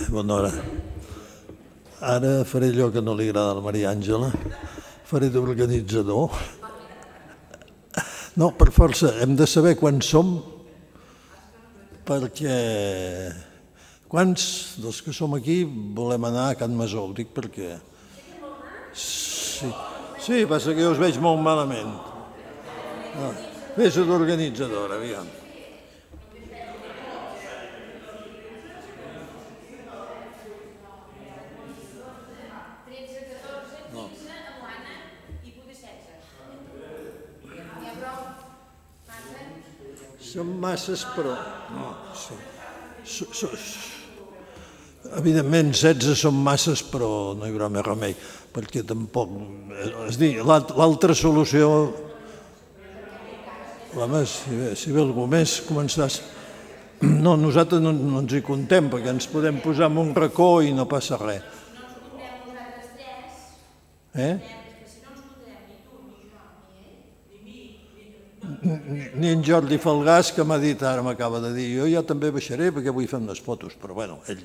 bona hora. Ara faré allò que no li agrada a la Maria Àngela, faré d'organitzador. No, per força, hem de saber quants som, perquè quants dels que som aquí volem anar a Can Masó, ho dic perquè... Sí, passa que jo us veig molt malament. Fes d'organitzadora, aviam. Són masses, però... No, sí. Evidentment, 16 són masses, però no hi haurà més remei, perquè tampoc... És dir, l'altra solució... Home, si ve algú més, començaràs... No, nosaltres no ens hi contem, perquè ens podem posar en un racó i no passa res. Ni en Jordi Falgàs, que m'ha dit, ara m'acaba de dir, jo ja també baixaré perquè vull fer unes fotos, però bueno, ell...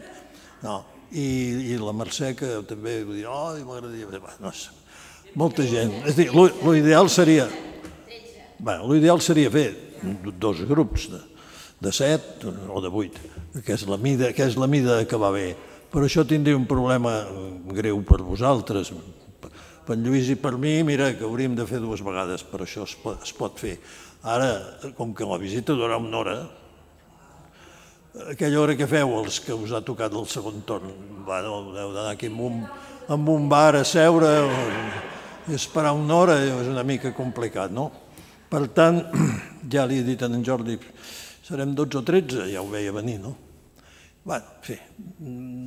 No, i la Mercè, que també vull dir, m'agradaria... No sé, molta gent. És a dir, l'ideal seria... L'ideal seria fer 2 grups de 7 o de 8, que és la mida que va bé. Però això tindria un problema greu per vosaltres. Per en Lluís i per mi, mira, que hauríem de fer 2 vegades, però això es pot fer. Ara, com que la visita durarà una hora, aquella hora que feu, els que us ha tocat el segon torn, heu d'anar aquí en un bar a seure i esperar una hora, és una mica complicat, no? Per tant, ja li he dit a en Jordi, serem 12 o 13, ja ho veia venir, no? Bé, en fi,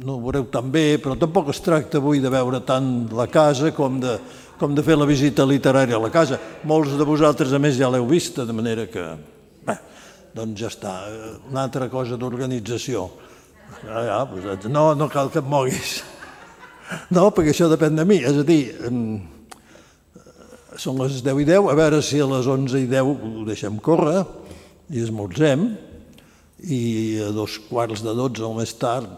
no ho veureu tan bé, però tampoc es tracta avui de veure tant la casa com de fer la visita literària a la casa. Molts de vosaltres, a més, ja l'heu vista, de manera que, bé, doncs ja està. Una altra cosa d'organització. No cal que et moguis. No, perquè això depèn de mi. És a dir, són les 10:10, a veure si a les 11:10 ho deixem córrer i esmorzem, i a 11:15 o més tard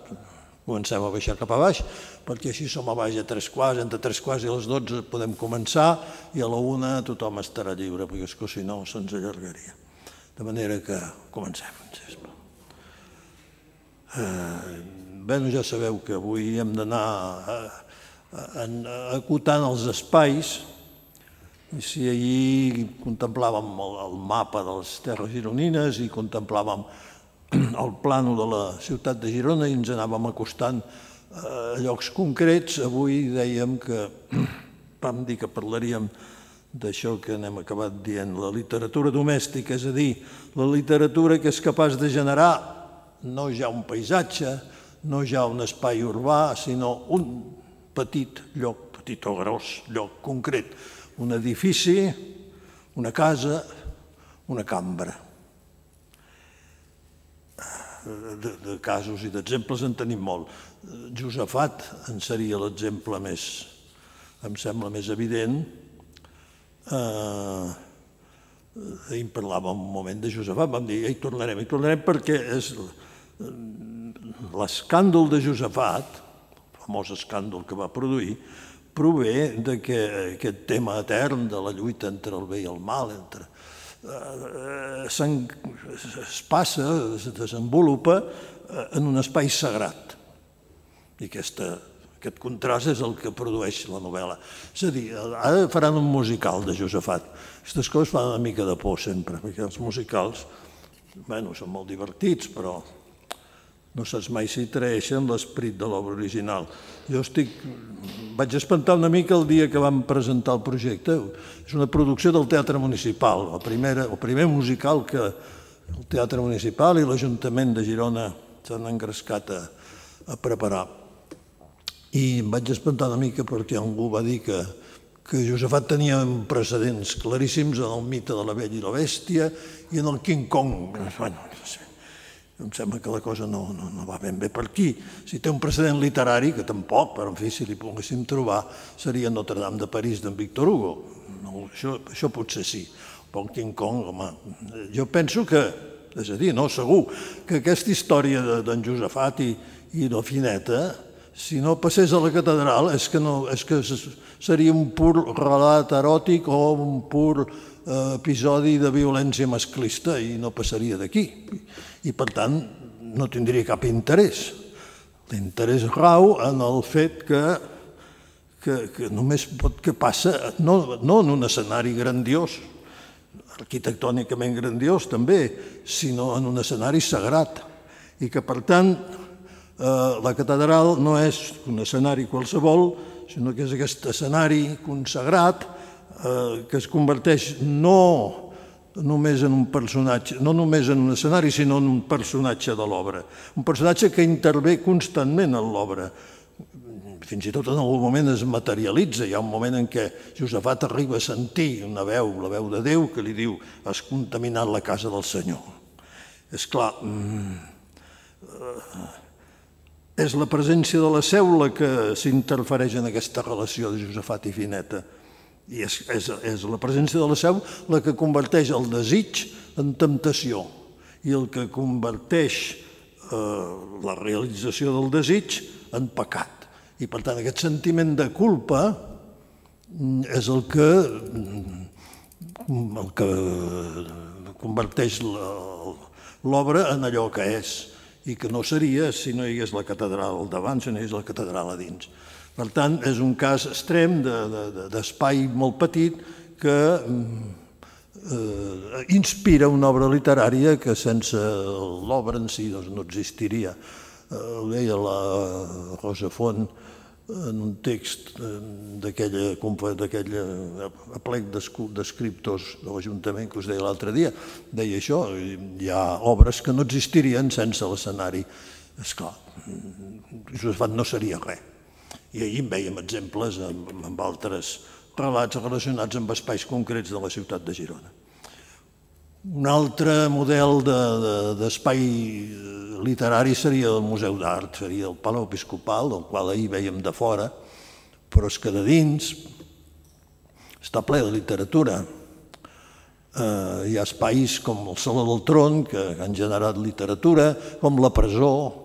comencem a baixar cap a baix, perquè així som a baix a 3:15, entre 3:15 i les 12 podem començar i a la 1 tothom estarà lliure, perquè és que si no se'ns allargaria. De manera que comencem. Bé, ja sabeu que avui hem d'anar acotant els espais, i si ahir contemplàvem el mapa de les terres gironines i contemplàvem el plànol de la ciutat de Girona i ens anàvem acostant a llocs concrets, avui dèiem que vam dir que parlaríem d'això que n'hem acabat dient, la literatura domèstica, és a dir, la literatura que és capaç de generar no ja un paisatge, no ja un espai urbà, sinó un petit lloc, petit o gros lloc concret, un edifici, una casa, una cambra. De casos i d'exemples en tenim molt. Josafat en seria l'exemple més, em sembla, més evident. Ahir en parlàvem un moment de Josafat, vam dir, hi tornarem perquè l'escàndol de Josafat, el famós escàndol que va produir, prové d'aquest tema etern de la lluita entre el bé i el mal, es passa, es desenvolupa en un espai sagrat. I aquest contrast és el que produeix la novel·la. És a dir, ara faran un musical de Josafat. Aquestes coses fan una mica de por sempre, perquè els musicals, bé, són molt divertits, però no saps mai si traeixen l'esperit de l'obra original. Jo vaig espantar una mica el dia que vam presentar el projecte. És una producció del Teatre Municipal, el primer musical que el Teatre Municipal i l'Ajuntament de Girona s'han engrescat a preparar. I em vaig espantar una mica perquè algú va dir que Josafat tenia precedents claríssims en el mite de la Bella i la Bèstia i en el King Kong. Bueno, no sé. Em sembla que la cosa no va ben bé per aquí. Si té un precedent literari, que tampoc, però en fi, si li poguéssim trobar, seria Notre Dame de París d'en Victor Hugo. Això potser sí. Però el King Kong, home, jo penso que, és a dir, no, segur, que aquesta història d'en Josafat i i la Fineta, si no passés a la catedral, és que seria un pur relat eròtic o un pur episodi de violència masclista i no passaria d'aquí. I, per tant, no tindria cap interès. L'interès rau en el fet que només que passa, no en un escenari grandiós, arquitectònicament grandiós també, sinó en un escenari sagrat. I que, per tant, la catedral no és un escenari qualsevol, sinó que és aquest escenari consagrat que es converteix no només en un personatge, no només en un escenari, sinó en un personatge de l'obra. Un personatge que intervé constantment en l'obra. Fins i tot en algun moment es materialitza. Hi ha un moment en què Josafat arriba a sentir una veu, la veu de Déu, que li diu: has contaminat la casa del Senyor. És clar, és la presència de la Seu la que s'interfereix en aquesta relació de Josafat i Fineta. I és la presència de la Seu la que converteix el desig en temptació i el que converteix la realització del desig en pecat. I, per tant, aquest sentiment de culpa és el que converteix l'obra en allò que és i que no seria si no hi hagués la catedral al davant, si no hi hagués la catedral a dins. Per tant, és un cas extrem d'espai molt petit que inspira una obra literària que sense l'obra en si no existiria. Ho deia la Rosa Font en un text d'aquell aplec d'escriptors de l'Ajuntament que us deia l'altre dia. Deia això: hi ha obres que no existirien sense l'escenari. Esclar, Josafat no seria res. I ahir en veiem exemples amb altres relats relacionats amb espais concrets de la ciutat de Girona. Un altre model d'espai literari seria el Museu d'Art, seria el Palau Episcopal, del qual ahir vèiem de fora, però és que de dins està ple de literatura. Hi ha espais com el Saló del Tron, que han generat literatura, com la presó,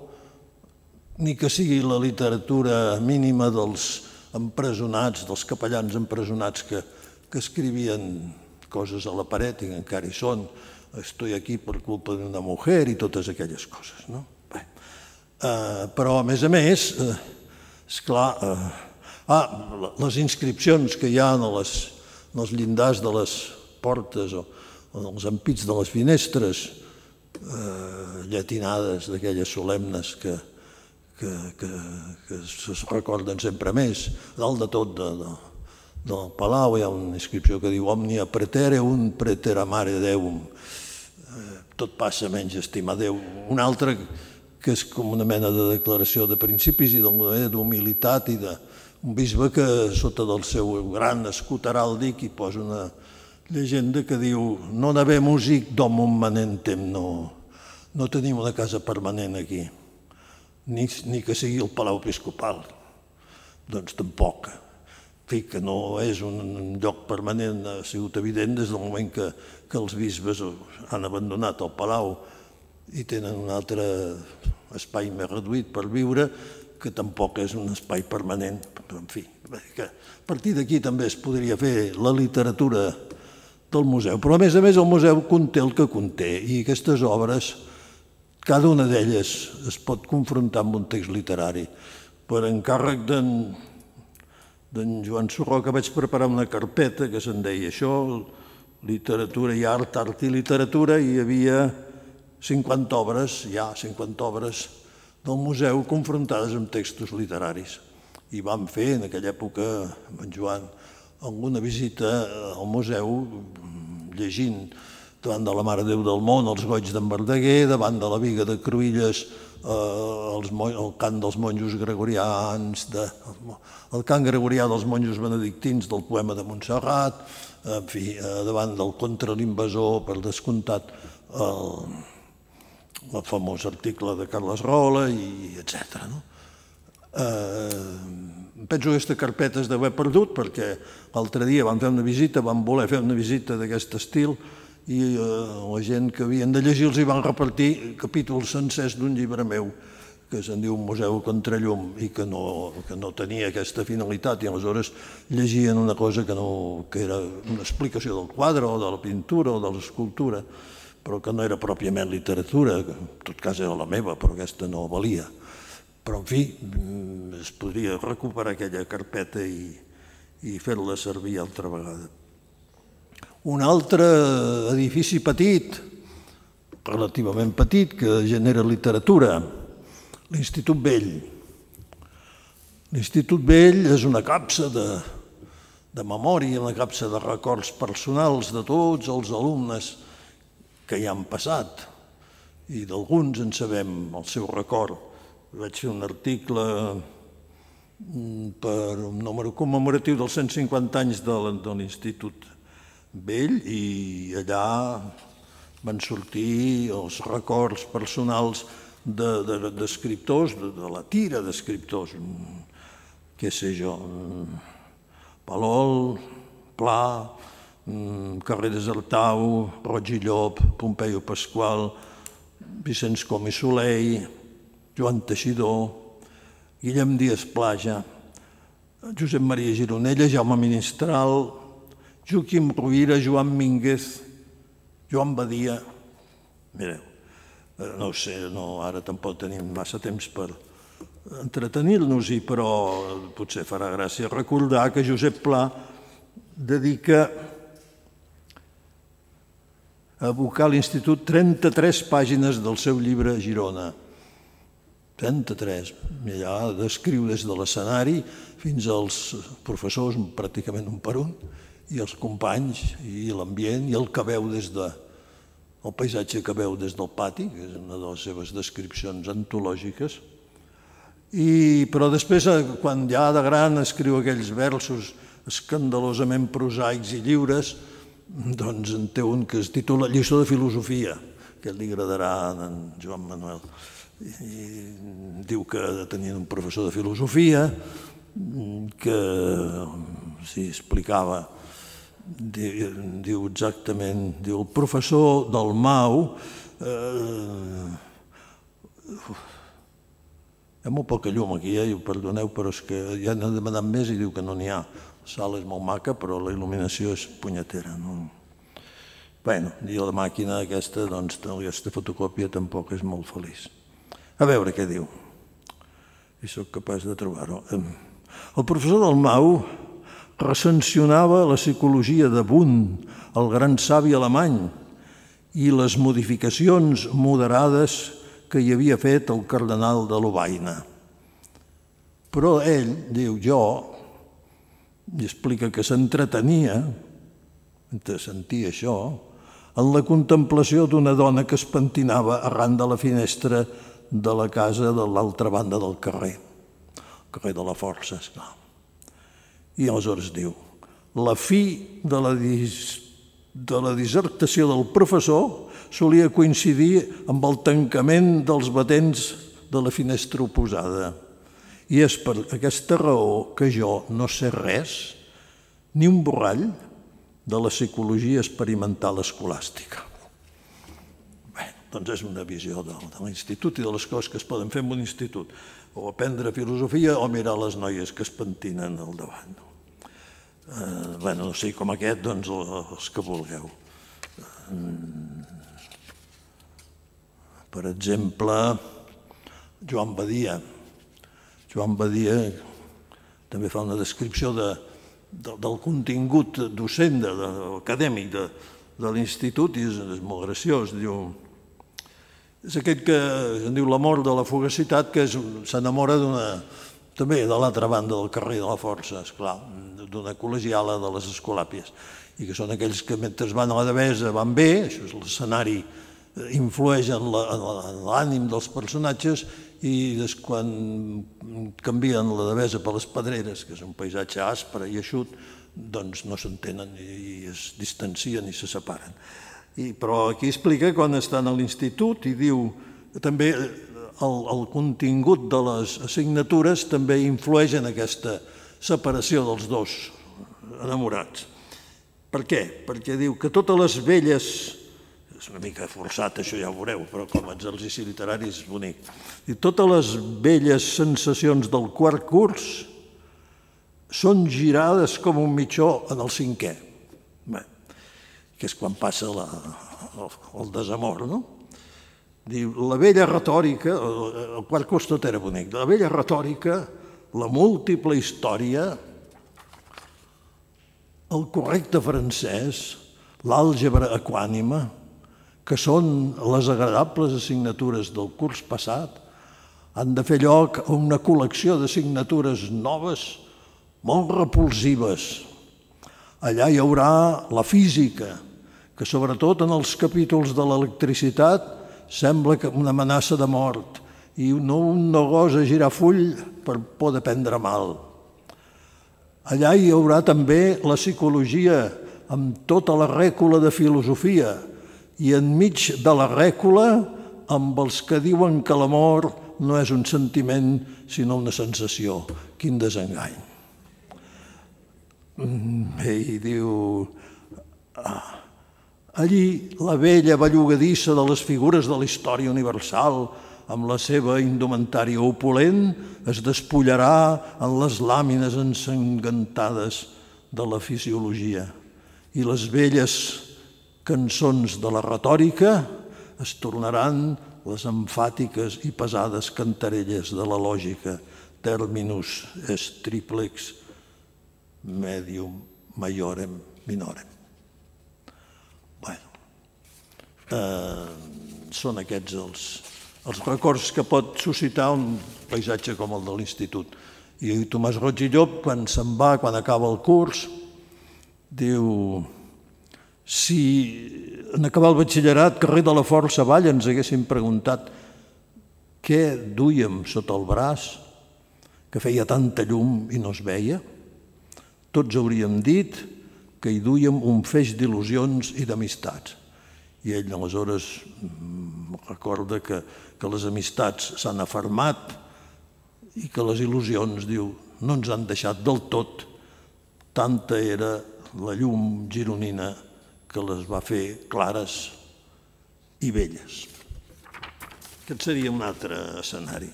ni que sigui la literatura mínima dels empresonats, dels capellans empresonats que escrivien coses a la paret i que encara hi són. Estoy aquí per culpa d'una mujer i totes aquelles coses. Però, a més, esclar, les inscripcions que hi ha en els llindars de les portes o en els ampits de les finestres, llatinades d'aquelles solemnes que es recorden sempre més. A dalt de tot del palau hi ha una inscripció que diu Omnia praetereum praeteramare Deum. Tot passa menys estimar Déu. Una altra que és com una mena de declaració de principis i d'una mena d'humilitat i d'un bisbe que sota del seu gran escut heràldic hi posa una llegenda que diu non habemus hic domum manentem, no tenim una casa permanent aquí, ni que sigui el Palau Episcopal. Doncs tampoc. En fi, que no és un lloc permanent, ha sigut evident des del moment que els bisbes han abandonat el palau i tenen un altre espai més reduït per viure, que tampoc és un espai permanent. En fi, a partir d'aquí també es podria fer la literatura del museu. Però, a més, el museu conté el que conté i aquestes obres, cada una d'elles es pot confrontar amb un text literari. Per encàrrec d'en Joan Surroca vaig preparar una carpeta que se'n deia això, literatura i art, art i literatura, i hi havia 50 obres del museu confrontades amb textos literaris. I vam fer, en aquella època, amb en Joan, alguna visita al museu llegint davant de la Mare de Déu del Món, els goigs d'en Verdaguer, davant de la Biga de Cruïlles, el cant dels monjos gregorians, el cant gregorià dels monjos benedictins del poema de Montserrat, en fi, davant del Contra l'invasor, per descomptat, el famós article de Carles Rola, etc. Penso que aquesta carpeta es deu haver perdut perquè l'altre dia vam voler fer una visita d'aquest estil i la gent que havien de llegir els hi van repartir capítols sencers d'un llibre meu que se'n diu Museu Contrallum i que no tenia aquesta finalitat, i aleshores llegien una cosa que era una explicació del quadre o de la pintura o de l'escultura, però que no era pròpiament literatura, que en tot cas era la meva, però aquesta no valia. Però, en fi, es podria recuperar aquella carpeta i fer-la servir altra vegada. Un altre edifici petit, relativament petit, que genera literatura, l'Institut Vell. L'Institut Vell és una capsa de memòria, una capsa de records personals de tots els alumnes que hi han passat, i d'alguns en sabem el seu record. Vaig fer un article per un número commemoratiu dels 150 anys de l'Institut Vell, i allà van sortir els records personals d'escriptors, de la tira d'escriptors, què sé jo, Palol, Pla, Carreras Artau, Roig i Llop, Pompeio Pasqual, Vicenç Com i Soleil, Joan Teixidor, Guillem Díaz Plaja, Josep Maria Gironella, Jaume Ministral, Joaquim Rovira, Joan Mínguez, Joan Badia. Mireu, no ho sé, ara tampoc tenim massa temps per entretenir-nos-hi, però potser farà gràcia recordar que Josep Pla dedica a abocar a l'Institut 33 pàgines del seu llibre Girona. 33. I allà descriu des de l'escenari fins als professors, pràcticament un per un, i els companys, i l'ambient, i el que veu el paisatge que veu des del pati, que és una de les seves descripcions antològiques. Però després, quan ja de gran escriu aquells versos escandalosament prosaics i lliures, doncs en té un que es titula Lliçó de filosofia, que li agradarà a en Joan Manuel. I diu que tenien un professor de filosofia que explicava, diu exactament, diu el professor del Mau, hi ha molt poca llum aquí, perdoneu, però és que ja n'he demanat més i diu que no n'hi ha. La sala és molt maca, però la il·luminació és punyetera. Bé, i la màquina aquesta, doncs, aquesta fotocòpia tampoc és molt feliç. A veure què diu, si sóc capaç de trobar-ho. El professor del Mau recensionava la psicologia de Wundt, el gran savi alemany, i les modificacions moderades que hi havia fet el cardenal de Lovaina. Però ell, diu jo, i explica que s'entretenia, mentre sentia això, en la contemplació d'una dona que es pentinava arran de la finestra de la casa de l'altra banda del carrer, el carrer de la Força, esclar. I aleshores diu, la fi de la dissertació del professor solia coincidir amb el tancament dels batents de la finestra oposada. I és per aquesta raó que jo no sé res, ni un borrall, de la psicologia experimental escolàstica. Doncs és una visió de l'institut i de les coses que es poden fer en un institut, o aprendre filosofia o mirar les noies que es pentinen al davant. Bé, no sé, com aquest, doncs els que vulgueu. Per exemple, Joan Badia. Joan Badia també fa una descripció del contingut docent, acadèmic de l'institut, i és molt graciós. És aquest que en diu l'amor de la fugacitat, que s'enamora també de l'altra banda del carrer de la Força, esclar, d'una col·legiala de les Escolàpies, i que són aquells que mentre van a la Devesa van bé, això és l'escenari, influeix en l'ànim dels personatges, i quan canvien la Devesa per les Pedreres, que és un paisatge aspre i eixut, doncs no s'entenen i es distancien i se separen. Però aquí explica quan estan a l'institut i diu també el contingut de les assignatures també influeix en aquesta separació dels dos enamorats. Per què? Perquè diu que totes les velles és una mica forçat, això ja ho veureu, però com a exercici literari és bonic. I totes les velles sensacions del quart curs són girades com un mitjó en el cinquè, que és quan passa el desamor, no? Diu, la vella retòrica, el quart curs tot era bonic, la vella retòrica, la múltiple història, el correcte francès, l'àlgebra equànima, que són les agradables assignatures del curs passat, han de fer lloc a una col·lecció d'assignatures noves molt repulsives. Allà hi haurà la física, que sobretot en els capítols de l'electricitat sembla que una amenaça de mort i un no gosa girar full per por de prendre mal. Allà hi haurà també la psicologia amb tota la rècula de filosofia i enmig de la rècula amb els que diuen que l'amor no és un sentiment sinó una sensació. Quin desengany. Bé, i diu... Allí la vella bellugadissa de les figures de la història universal, amb la seva indumentària opulent, es despullarà en les làmines ensangantades de la fisiologia. I les velles cançons de la retòrica es tornaran les emfàtiques i pesades cantarelles de la lògica, terminus est triplex medium maiorem minorem. Són aquests els records que pot suscitar un paisatge com el de l'institut. I Tomàs Roig i Llop, quan se'n va, quan acaba el curs, diu: si en acabar el batxillerat, carrer de la Força Vall, ens haguéssim preguntat què duíem sota el braç, que feia tanta llum i no es veia, tots hauríem dit que hi duíem un feix d'il·lusions i d'amistats. I ell aleshores recorda que les amistats s'han afermat i que les il·lusions, diu, no ens han deixat del tot. Tanta era la llum gironina que les va fer clares i belles. Aquest seria un altre escenari.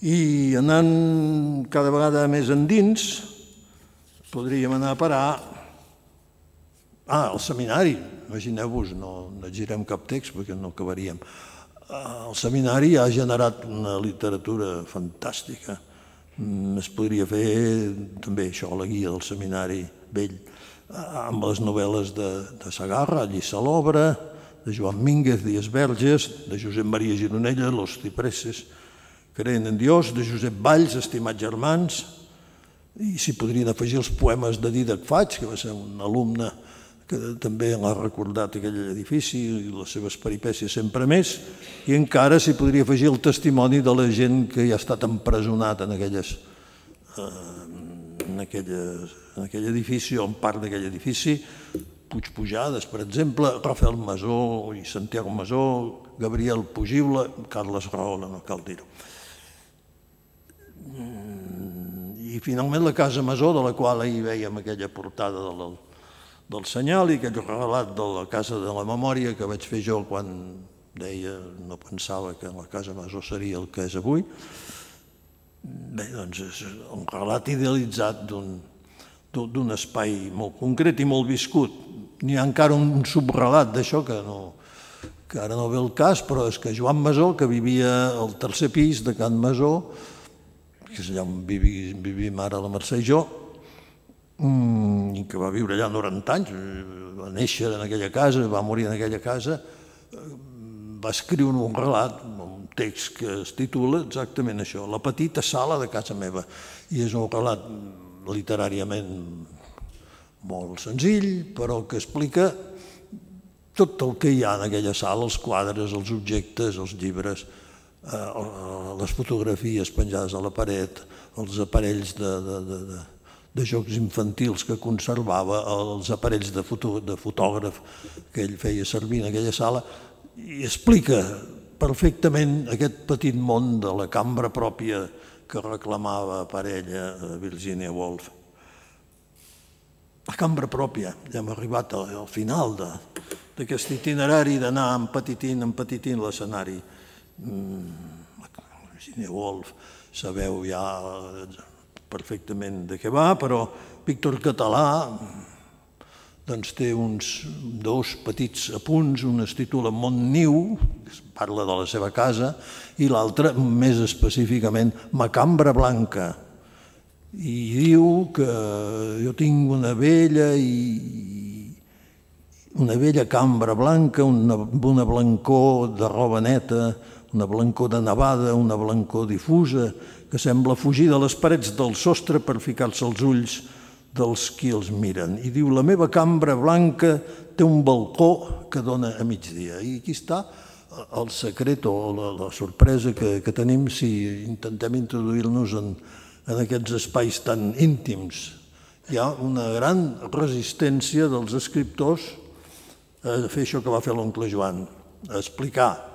I anant cada vegada més endins, podríem anar a parar al seminari. Imagineu-vos, no girem cap text perquè no acabaríem. El seminari ha generat una literatura fantàstica. Es podria fer també això, la guia del seminari vell, amb les novel·les de Segarra, Lliçà l'obra, de Joan Mínguez, Díaz Verges, de Josep Maria Gironella, Los cipreses creen en Dios, de Josep Valls, Estimats germans, i s'hi podrien afegir els poemes de Dídac Faig, que va ser un alumne que també l'ha recordat aquell edifici i les seves peripècies sempre més, i encara s'hi podria afegir el testimoni de la gent que ja ha estat empresonat en aquell edifici o en part d'aquell edifici, Puigpujades, per exemple, Rafael Masó i Santiago Masó, Gabriel Pugible, Carles Rahola, no cal dir-ho. I finalment la Casa Masó, de la qual ahir veiem aquella portada del senyal i aquell relat de la Casa de la Memòria que vaig fer jo quan deia, no pensava que la Casa Masó seria el que és avui. Bé, doncs és un relat idealitzat d'un espai molt concret i molt viscut. N'hi ha encara un subrelat d'això que ara no ve el cas, però és que Joan Masó, que vivia al tercer pis de Can Masó, que és allà on vivim ara la Mercè i jo, i que va viure allà 90 anys, va néixer en aquella casa, va morir en aquella casa, va escriure un relat, un text que es titula exactament això, La petita sala de casa meva, i és un relat literàriament molt senzill, però que explica tot el que hi ha en aquella sala, els quadres, els objectes, els llibres, les fotografies penjades a la paret, els aparells de jocs infantils que conservava, els aparells de fotògraf que ell feia servir en aquella sala, i explica perfectament aquest petit món de la cambra pròpia que reclamava per ella Virginia Woolf. La cambra pròpia, ja hem arribat al final d'aquest itinerari d'anar empetitint l'escenari. Virginia Woolf, sabeu ja perfectament de què va, però Víctor Català té uns dos petits apunts, un es titula Montniu, que parla de la seva casa, i l'altre, més específicament, Ma cambra blanca. I diu que jo tinc una vella cambra blanca, una blancor de roba neta, una blancor de nevada, una blancor difusa, que sembla fugir de les parets del sostre per ficar-se als ulls dels qui els miren. I diu, la meva cambra blanca té un balcó que dona a migdia. I aquí està el secret o la sorpresa que tenim si intentem introduir-nos en aquests espais tan íntims. Hi ha una gran resistència dels escriptors a fer això que va fer l'oncle Joan, a explicar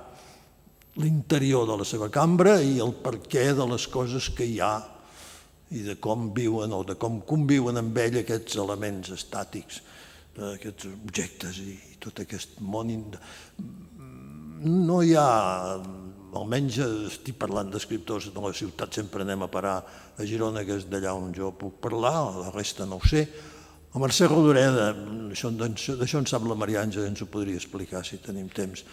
l'interior de la seva cambra i el perquè de les coses que hi ha i de com viuen o de com conviuen amb ell aquests elements estàtics, aquests objectes i tot aquest món. No hi ha, almenys estic parlant d'escriptors de la ciutat, sempre anem a parar a Girona, que és d'allà on jo puc parlar, la resta no ho sé. El Mercè Rodoreda, d'això en sap la Maria Àngela, ens ho podria explicar si tenim temps.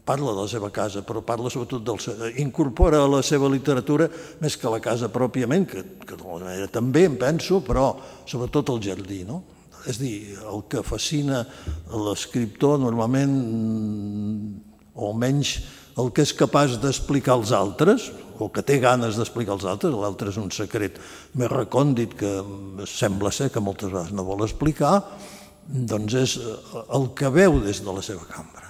Parla de la seva casa, però parla sobretot incorpora a la seva literatura més que la casa pròpiament, que d'alguna manera també en penso, però sobretot el jardí, no? És a dir, el que fascina l'escriptor normalment, o almenys el que és capaç d'explicar als altres, o que té ganes d'explicar als altres, l'altre és un secret més recòndit que sembla ser que moltes vegades no vol explicar, doncs és el que veu des de la seva cambra.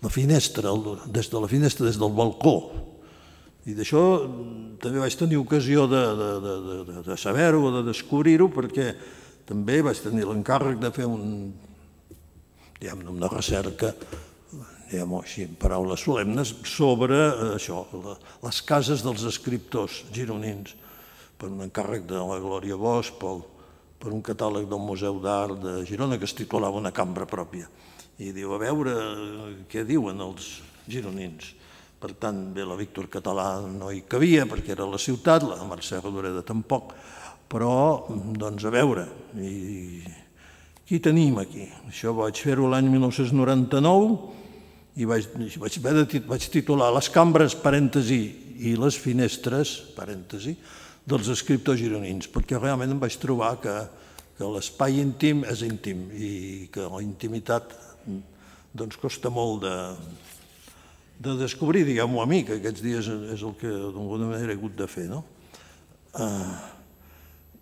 La finestra, des de la finestra, des del balcó. I d'això també vaig tenir ocasió de saber-ho o de descobrir-ho, perquè també vaig tenir l'encàrrec de fer una recerca, diguem-ho així, en paraules solemnes, sobre això, les cases dels escriptors gironins, per un encàrrec de la Glòria Bosch, per un catàleg del Museu d'Art de Girona que es titulava Una cambra pròpia. I diu, a veure què diuen els gironins. Per tant, bé, la Víctor Català no hi cabia perquè era la ciutat, la Mercè Rodoreda tampoc, però, doncs, a veure, i qui tenim aquí? Això vaig fer-ho l'any 1999 i vaig titular Les cambres, parèntesi, i les finestres, parèntesi, dels escriptors gironins, perquè realment em vaig trobar que l'espai íntim és íntim i que la intimitat costa molt de descobrir, diguem-ho a mi, que aquests dies és el que d'alguna manera he hagut de fer, no?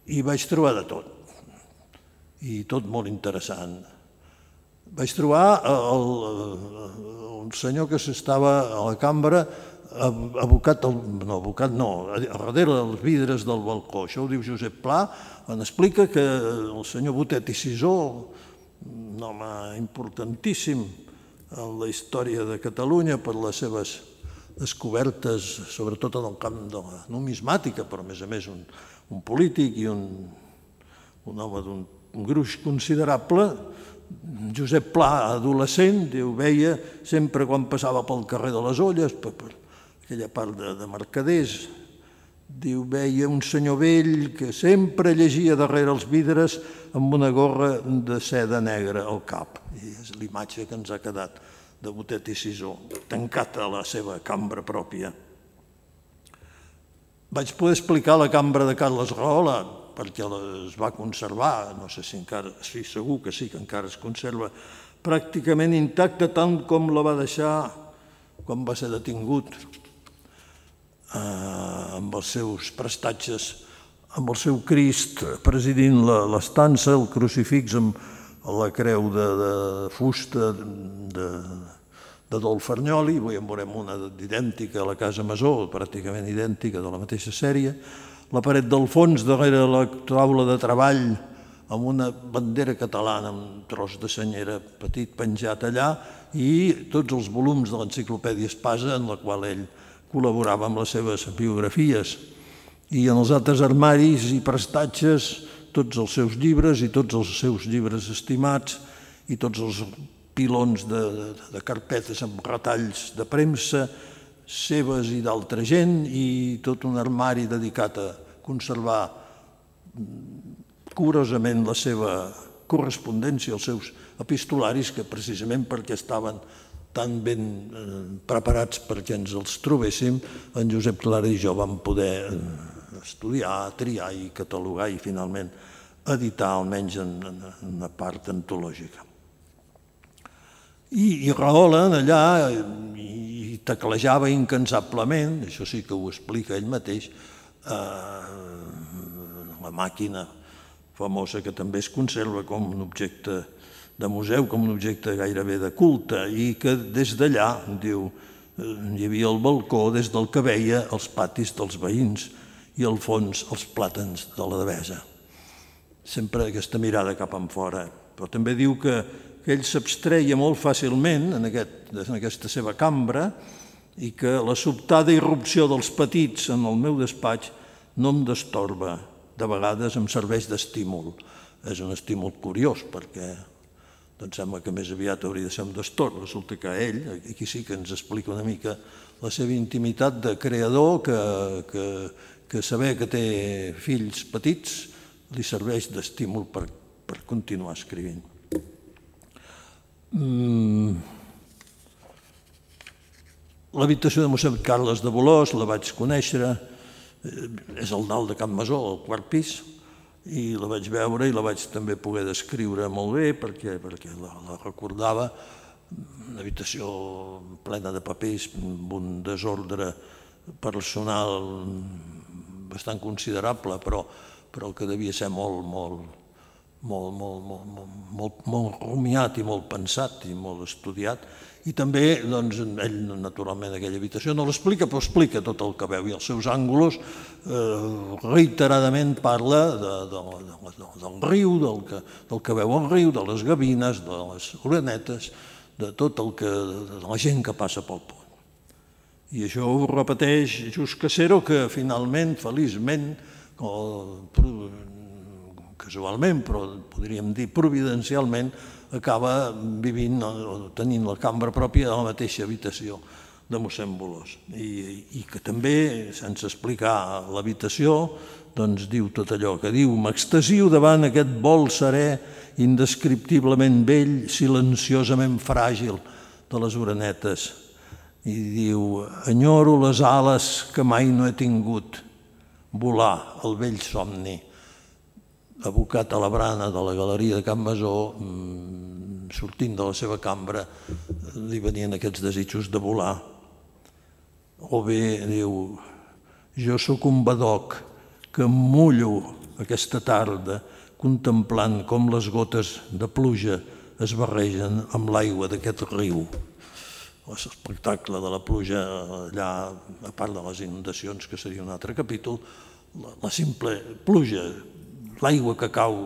I vaig trobar de tot, i tot molt interessant. Vaig trobar un senyor que s'estava a la cambra abocat, darrere dels vidres del balcó. Això ho diu Josep Pla, on explica que el senyor Botet i Sisó, un home importantíssim en la història de Catalunya per les seves descobertes, sobretot en el camp de la numismàtica, però a més un polític i un home d'un gruix considerable. Josep Pla, adolescent, veia sempre quan passava pel carrer de les Olles, per aquella part de mercaders, veia un senyor vell que sempre llegia darrere els vidres amb una gorra de seda negra al cap. I és l'imatge que ens ha quedat de Botet i Sisó, tancat a la seva cambra pròpia. Vaig poder explicar la cambra de Carles Rahola, perquè es va conservar, no sé si encara, sí, segur que sí, que encara es conserva pràcticament intacta, tant com la va deixar quan va ser detingut, amb els seus prestatges, amb el seu Crist presidint l'estança, el crucifix amb la creu de fusta d'Adolf Arnyoli. Avui en veurem una idèntica a la Casa Masó, pràcticament idèntica, de la mateixa sèrie. La paret del fons, darrere la taula de treball, amb una bandera catalana, un tros de senyera petit penjat allà, i tots els volums de l'enciclopèdia Espasa, en la qual ell col·laborava amb les seves biografies. I en els altres armaris i prestatges, tots els seus llibres i tots els seus llibres estimats i tots els pilons de carpetes amb retalls de premsa, seves i d'altra gent, i tot un armari dedicat a conservar curosament la seva correspondència, els seus epistolaris, que precisament perquè estaven tan ben preparats perquè ens els trobéssim, en Josep Clara i jo vam poder estudiar, triar i catalogar i finalment editar, almenys en una part antològica. I Rahola allà hi teclejava incansablement, això sí que ho explica ell mateix, la màquina famosa que també es conserva com un objecte de museu, com un objecte gairebé de culte, i que des d'allà, diu, hi havia el balcó des del que veia els patis dels veïns i al fons els plàtans de la Devesa. Sempre aquesta mirada cap enfora. Però també diu que ell s'abstreia molt fàcilment en aquesta seva cambra i que la sobtada irrupció dels petits en el meu despatx no em destorba, de vegades em serveix d'estímul. És un estímul curiós perquè sembla que més aviat hauria de ser un destorb. Resulta que ell, aquí sí que ens explica una mica la seva intimitat de creador, que saber que té fills petits li serveix d'estímul per continuar escrivint. L'habitació de mossèn Carles de Bolòs la vaig conèixer, és al dalt de Can Masó, al quart pis, i la vaig veure i la vaig també poder descriure molt bé perquè la recordava, una habitació plena de papers, amb un desordre personal bastant considerable, però que devia ser molt rumiat i molt pensat i molt estudiat. I també, ell naturalment aquella habitació no l'explica, però explica tot el que veu, i els seus àngulos reiteradament parla del riu, del que veu al riu, de les gavines, de les orenetes, de tot el que, de la gent que passa pel pont. I això ho repeteix Just Casero, que finalment, feliçment, casualment, però podríem dir providencialment, acaba vivint o tenint la cambra pròpia de la mateixa habitació de mossèn Bolòs. I que també, sense explicar l'habitació, diu tot allò que diu: m'extasio davant aquest vol serè, indescriptiblement vell, silenciosament fràgil de les orenetes. I diu: enyoro les ales que mai no he tingut, volar el vell somni. Abocat a la brana de la galeria de Can Masó, sortint de la seva cambra, li venien aquests desitjos de volar. O bé, diu, jo sóc un badoc que em mullo aquesta tarda contemplant com les gotes de pluja es barregen amb l'aigua d'aquest riu. L'espectacle de la pluja allà, a part de les inundacions, que seria un altre capítol, la simple pluja, l'aigua que cau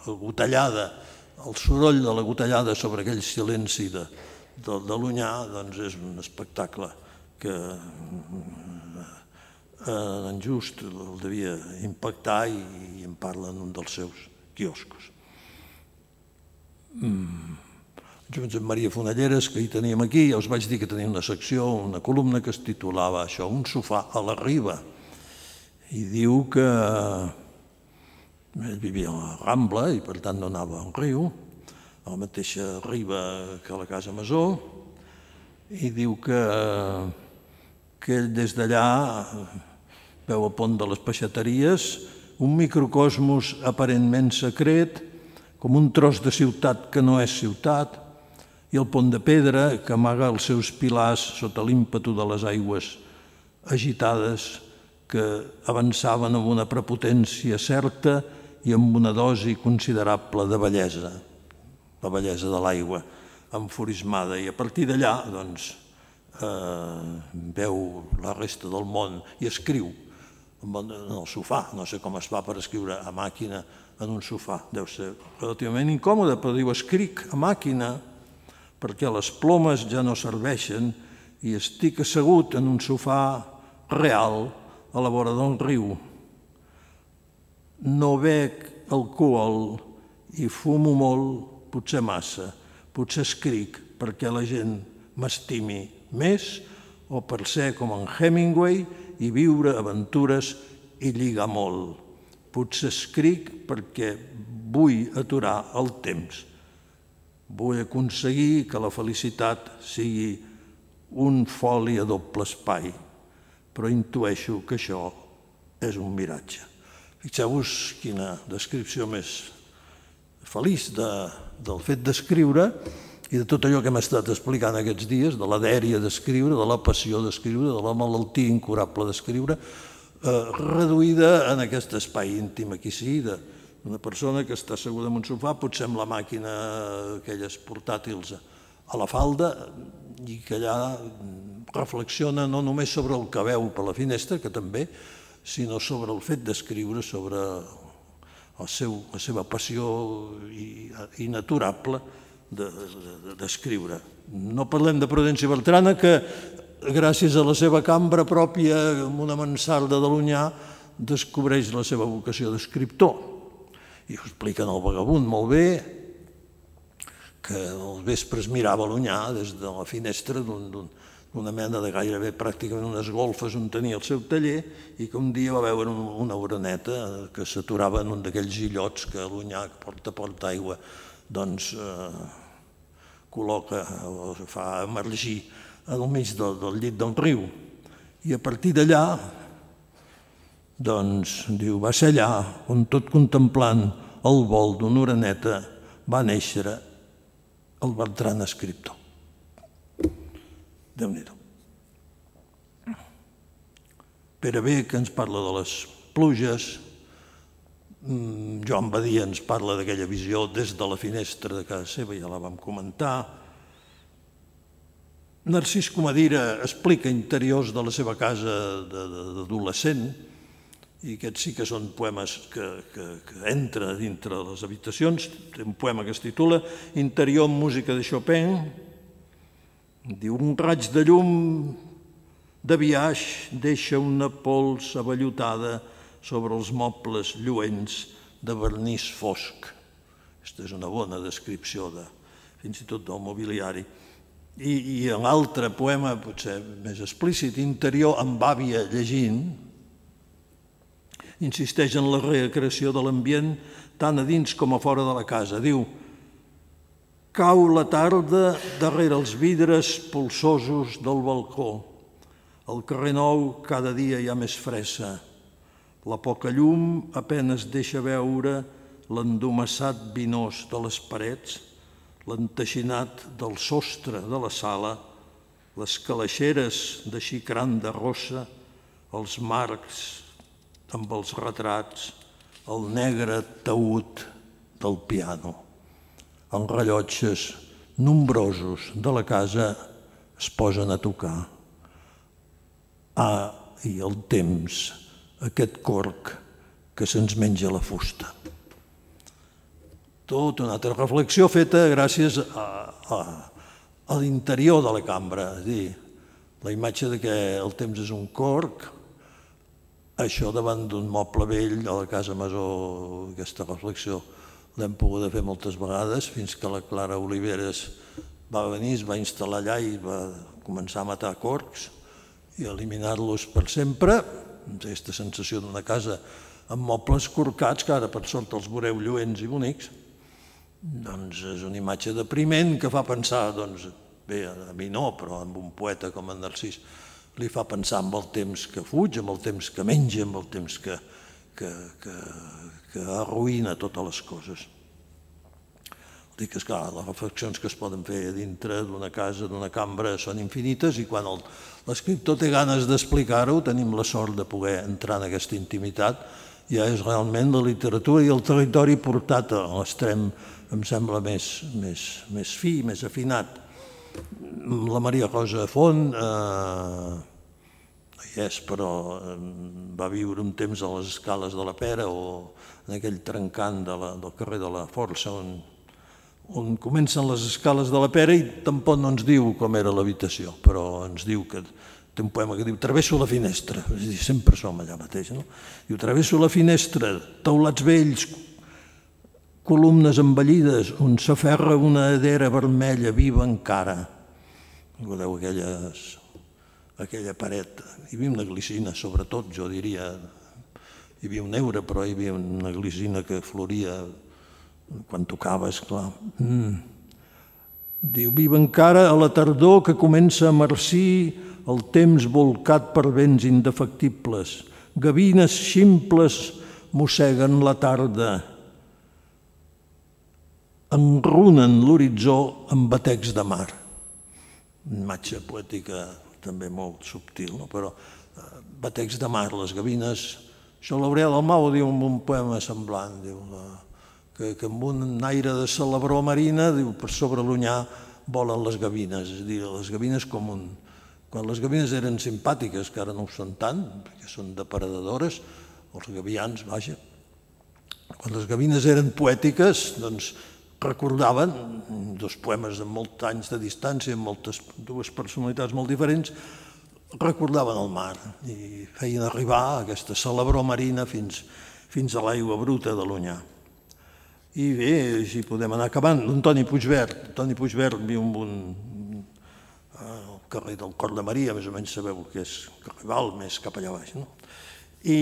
gotellada, el soroll de la gotellada sobre aquell silenci de l'Onyar, és un espectacle que en Just el devia impactar i en parla en un dels seus quioscos. Josep Maria Fonalleres, que hi teníem aquí, ja us vaig dir que tenia una secció, una columna que es titulava això, Un sofà a la riba, i diu que ell vivia a la Rambla i per tant no anava al riu, a la mateixa riba que a la Casa Masó, i diu que ell des d'allà veu el pont de les Peixateries, un microcosmos aparentment secret, com un tros de ciutat que no és ciutat, i el pont de pedra que amaga els seus pilars sota l'ímpetu de les aigües agitades que avançaven amb una prepotència certa i amb una dosi considerable de bellesa, la bellesa de l'aigua enfurismada. I a partir d'allà veu la resta del món i escriu en el sofà. No sé com es fa per escriure a màquina en un sofà. Deu ser relativament incòmode, però diu: escric a màquina perquè les plomes ja no serveixen i estic assegut en un sofà real a la vora d'un riu. No bec alcohol i fumo molt, potser massa, Potser escric perquè la gent m'estimi més o per ser com en Hemingway i viure aventures i lligar molt. Potser escric perquè vull aturar el temps. Vull aconseguir que la felicitat sigui un foli a doble espai, però intueixo que això és un miratge. Fixeu-vos quina descripció més feliç del fet d'escriure i de tot allò que hem estat explicant aquests dies, de la dèria d'escriure, de la passió d'escriure, de la malaltia incurable d'escriure, reduïda en aquest espai íntim, aquí sí, d'una persona que està asseguda en un sofà, potser amb la màquina aquelles portàtils a la falda, i que allà reflexiona no només sobre el que veu per la finestra, que també, sinó sobre el fet d'escriure, sobre la seva passió inaturable d'escriure. No parlem de Prudenci Bertrana, que gràcies a la seva cambra pròpia, amb una mansarda de l'Onyar, descobreix la seva vocació d'escriptor. I ho explica en El vagabund molt bé, que als vespres mirava l'Onyar des de la finestra d'una mena de gairebé pràcticament unes golfes on tenia el seu taller, i que un dia va veure una oreneta que s'aturava en un d'aquells illots que l'Onyar, porta aigua, doncs col·loca o fa emergir al mig del llit del riu. I a partir d'allà, doncs, diu, va ser allà on, tot contemplant el vol d'una oreneta, va néixer el Bertran escriptor. Déu-n'hi-do. Pere B, que ens parla de les pluges, Joan Badia ens parla d'aquella visió des de la finestra de casa seva, ja la vam comentar. Narcís Comadira explica interiors de la seva casa d'adolescent, i aquests sí que són poemes que entren dintre les habitacions. Té un poema que es titula Interior amb música de Chopin. Diu, un raig de llum de biaix deixa una pols avellotada sobre els mobles lluents de vernís fosc. Aquesta és una bona descripció fins i tot del mobiliari. I en l'altre poema, potser més explícit, Interior amb àvia llegint, insisteix en la recreació de l'ambient tant a dins com a fora de la casa. Diu, cau la tarda darrere els vidres polsosos del balcó. Al carrer Nou cada dia hi ha més fressa. La poca llum apenas deixa veure l'endomassat vinós de les parets, l'enteixinat del sostre de la sala, les calaixeres de xicran de rossa, els marcs amb els retrats, el negre taüt del piano. Els rellotges nombrosos de la casa es posen a tocar. I el temps, aquest corc que se'ns menja la fusta. Tota una altra reflexió feta gràcies a l'interior de la cambra, és a dir, la imatge que el temps és un corc, això davant d'un moble vell a la Casa Masó, aquesta reflexió l'hem pogut fer moltes vegades, fins que la Clara Oliveres va venir, es va instal·lar allà i va començar a matar corcs i eliminar-los per sempre. Aquesta sensació d'una casa amb mobles corcats, que ara per sort els veureu lluents i bonics, doncs és una imatge depriment que fa pensar, bé, a mi no, però amb un poeta com en Narcís li fa pensar en el temps que fuig, en el temps que menja, en el temps que arruïna totes les coses. Dic que, esclar, les reflexions que es poden fer dintre d'una casa, d'una cambra, són infinites, i quan l'escriptor té ganes d'explicar-ho, tenim la sort de poder entrar en aquesta intimitat, ja és realment la literatura i el territori portat a l'extrem, em sembla, més fi, més afinat. La Maria Rosa Font, però va viure un temps a les escales de la Pera o en aquell trencant del carrer de la Força, on comencen les escales de la Pera, i tampoc no ens diu com era l'habitació, però ens diu que té un poema que diu «Travesso la finestra», és a dir, sempre som allà mateix, no? Diu «Travesso la finestra, teulats vells, columnes envellides on s'aferra una edera vermella viva encara. Recordeu aquella paret? Hi havia una glicina, sobretot, jo diria. Hi havia un heure, però hi havia una glicina que floria quan tocava, esclar. Diu, viva encara a la tardor que comença a marcir el temps volcat per vents indefectibles. Gavines ximples mosseguen la tarda. Enrunen l'horitzó amb batecs de mar. Una imatge poètica també molt subtil, però batecs de mar, les gavines. Això l'Aurel Dalmau diu en un poema semblant, diu que amb un aire de celebró marina, diu, per sobre l'Onyar volen les gavines. És a dir, les gavines com un... Quan les gavines eren simpàtiques, que ara no ho són tant, perquè són depredadores, els gavians, vaja, quan les gavines eren poètiques, doncs recordaven, dos poemes de molts anys de distància, amb dues personalitats molt diferents, recordaven el mar i feien arribar aquesta celebró marina fins a l'aigua bruta de l'Onyar. I bé, si podem anar acabant, l'Antoni Puigvert. Antoni Puigvert viu al carrer del Cor de Maria, més o menys sabeu que és carrer Val, més cap allà baix, no? I,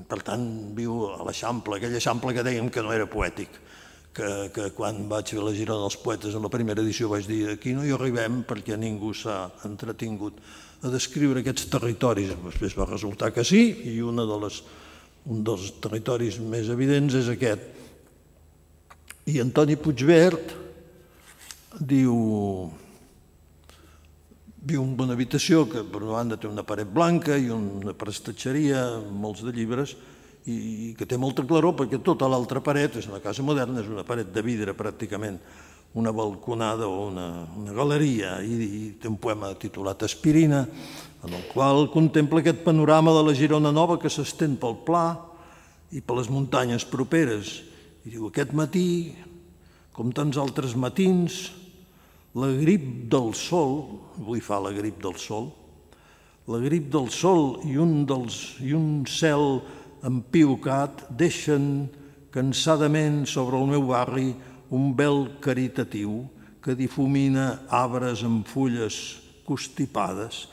per tant, viu a l'Eixample, aquell Eixample que dèiem que no era poètic, que quan vaig fer la Girona dels Poetes en la primera edició vaig dir aquí no hi arribem perquè ningú s'ha entretingut a descriure aquests territoris. Després va resultar que sí, i un dels territoris més evidents és aquest. I Antoni Puigvert viu en una habitació que per una banda té una paret blanca i una prestatgeria amb molts de llibres i que té molta claror perquè tota l'altra paret, és una casa moderna, és una paret de vidre pràcticament, una balconada o una galeria, i té un poema titulat Aspirina, en el qual contempla aquest panorama de la Girona nova que s'estén pel Pla i per les muntanyes properes. I diu, aquest matí, com tants altres matins, la grip del sol, avui fa la grip del sol, la grip del sol i un cel empiucat deixen cansadament sobre el meu barri un vel caritatiu que difumina arbres amb fulles constipades,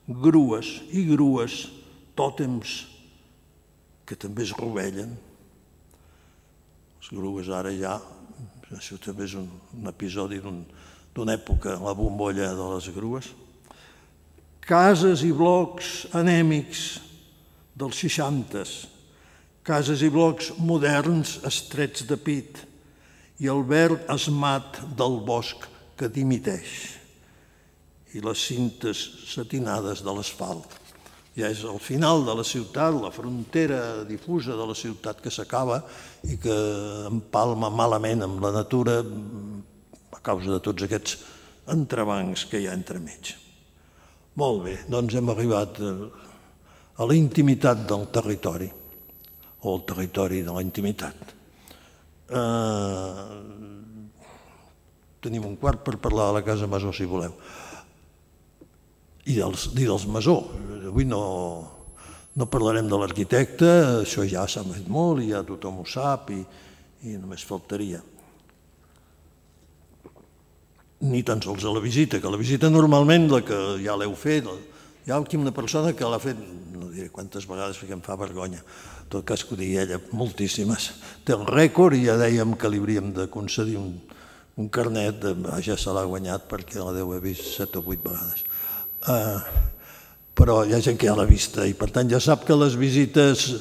grues i grues, tòtems que també es rovellen. Les grues ara ja, això també és un episodi d'una època, la bombolla de les grues. Cases i blocs anèmics dels 60s, cases i blocs moderns estrets de pit i el verd esmat del bosc que dimiteix i les cintes satinades de l'asfalt. Ja és el final de la ciutat, la frontera difusa de la ciutat que s'acaba i que empalma malament amb la natura a causa de tots aquests entrebancs que hi ha entremig. Molt bé, doncs hem arribat a la intimitat del territori, o el territori de la intimitat. Tenim un quart per parlar de la Casa Masó, si voleu, i dels Masó. Avui no parlarem de l'arquitecte, això ja s'ha fet molt i ja tothom ho sap i només faltaria. Ni tan sols a la visita, que la visita normalment, la que ja l'heu fet, hi ha aquí una persona que l'ha fet, no diré quantes vegades perquè em fa vergonya, en tot cas que ho digui ella, moltíssimes. Té el rècord i ja dèiem que li hauríem de concedir un carnet, ja se l'ha guanyat perquè la deu haver vist 7 o 8 vegades. Però hi ha gent que ja l'ha vista i per tant ja sap que les visites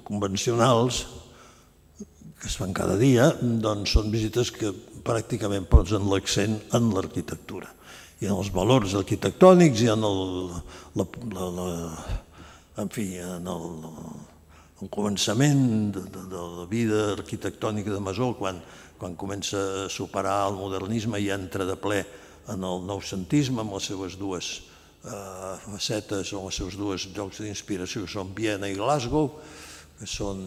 convencionals que es fan cada dia, doncs són visites que pràcticament posen l'accent en l'arquitectura i en els valors arquitectònics i en el començament de la vida arquitectònica de Masó, quan comença a superar el modernisme i entra de ple en el noucentisme amb les seves dues facetes o els seus dos llocs d'inspiració, que són Viena i Glasgow, que són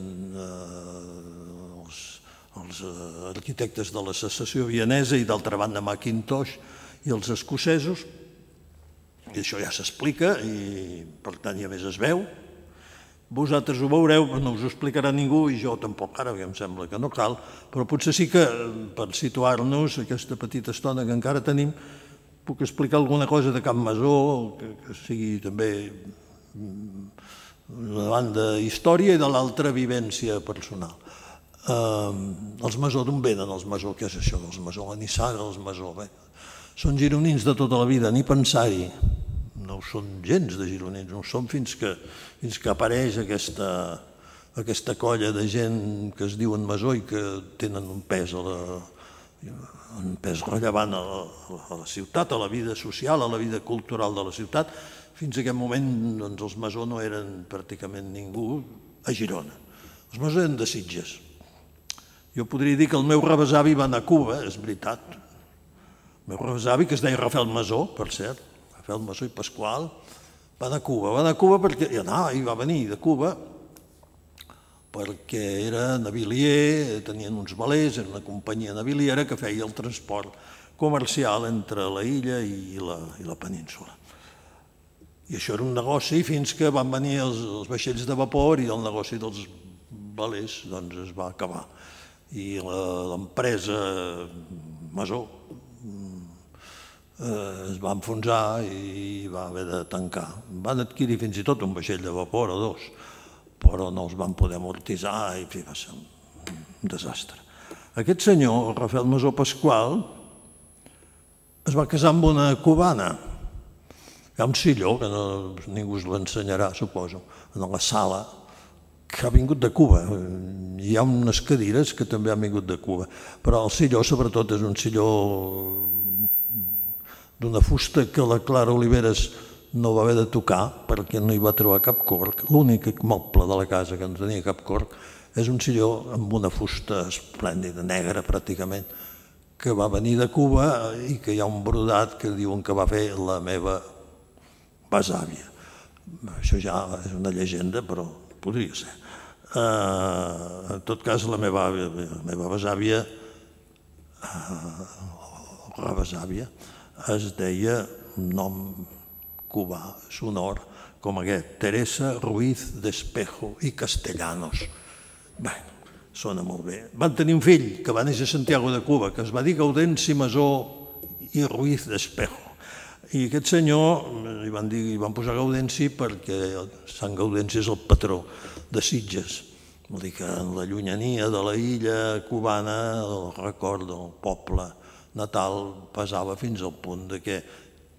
els arquitectes de la secessió vienesa i d'altra banda Mackintosh i els escocesos, i això ja s'explica i per tant ja més es veu, Vosaltres ho veureu, no us ho explicarà ningú i jo tampoc ara, perquè em sembla que no cal, però potser sí que per situar-nos aquesta petita estona que encara tenim puc explicar alguna cosa de Can Masó que sigui també una banda història i de l'altra vivència personal. Els Masó, d'on venen els Masó? Què és això dels Masó? La nissaga dels Masó. Són gironins de tota la vida, ni pensar-hi. No ho són gens de gironins, no ho són fins que apareix aquesta colla de gent que es diuen Masó i que tenen un pes rellevant a la ciutat, a la vida social, a la vida cultural de la ciutat. Fins a aquest moment els Masó no eren pràcticament ningú a Girona. Els Masó eren de Sitges. Jo podria dir que el meu rebesavi va anar a Cuba, és veritat. El meu rebesavi, que es deia Rafael Masó, per cert, Rafael Masó i Pasqual, va anar a Cuba. Va anar a Cuba perquè va venir de Cuba perquè era navilier, tenien uns velers, era una companyia naviliera que feia el transport comercial entre la illa i la península. I això era un negoci fins que van venir els vaixells de vapor i el negoci dels velers es va acabar. I l'empresa Masó es va enfonsar i va haver de tancar. Van adquirir fins i tot un vaixell de vapor o dos, però no els van poder amortitzar i va ser un desastre. Aquest senyor, Rafael Masó Pasqual, es va casar amb una cubana. Hi ha un silló, que ningú us l'ensenyarà, suposo, en la sala, que ha vingut de Cuba. Hi ha unes cadires que també han vingut de Cuba, però el silló sobretot és un silló d'una fusta que la Clara Oliveres no va haver de tocar perquè no hi va trobar cap corc. L'únic moble de la casa que no tenia cap corc és un silló amb una fusta esplèndida, negra pràcticament, que va venir de Cuba i que hi ha un brodat que diuen que va fer la meva besàvia. Això ja és una llegenda, però podria ser. En tot cas, la meva besàvia, o rebesàvia, es deia un nom cubà, sonor, com aquest, Teresa Ruiz de Espejo i Castellanos. Bé, sona molt bé. Van tenir un fill que va néixer a Santiago de Cuba, que es va dir Gaudenci Masó i Ruiz de Espejo. I aquest senyor li van posar Gaudenci perquè Sant Gaudenci és el patró de Sitges. Vol dir que en la llunyania de la illa cubana el record del poble natal pesava fins al punt que,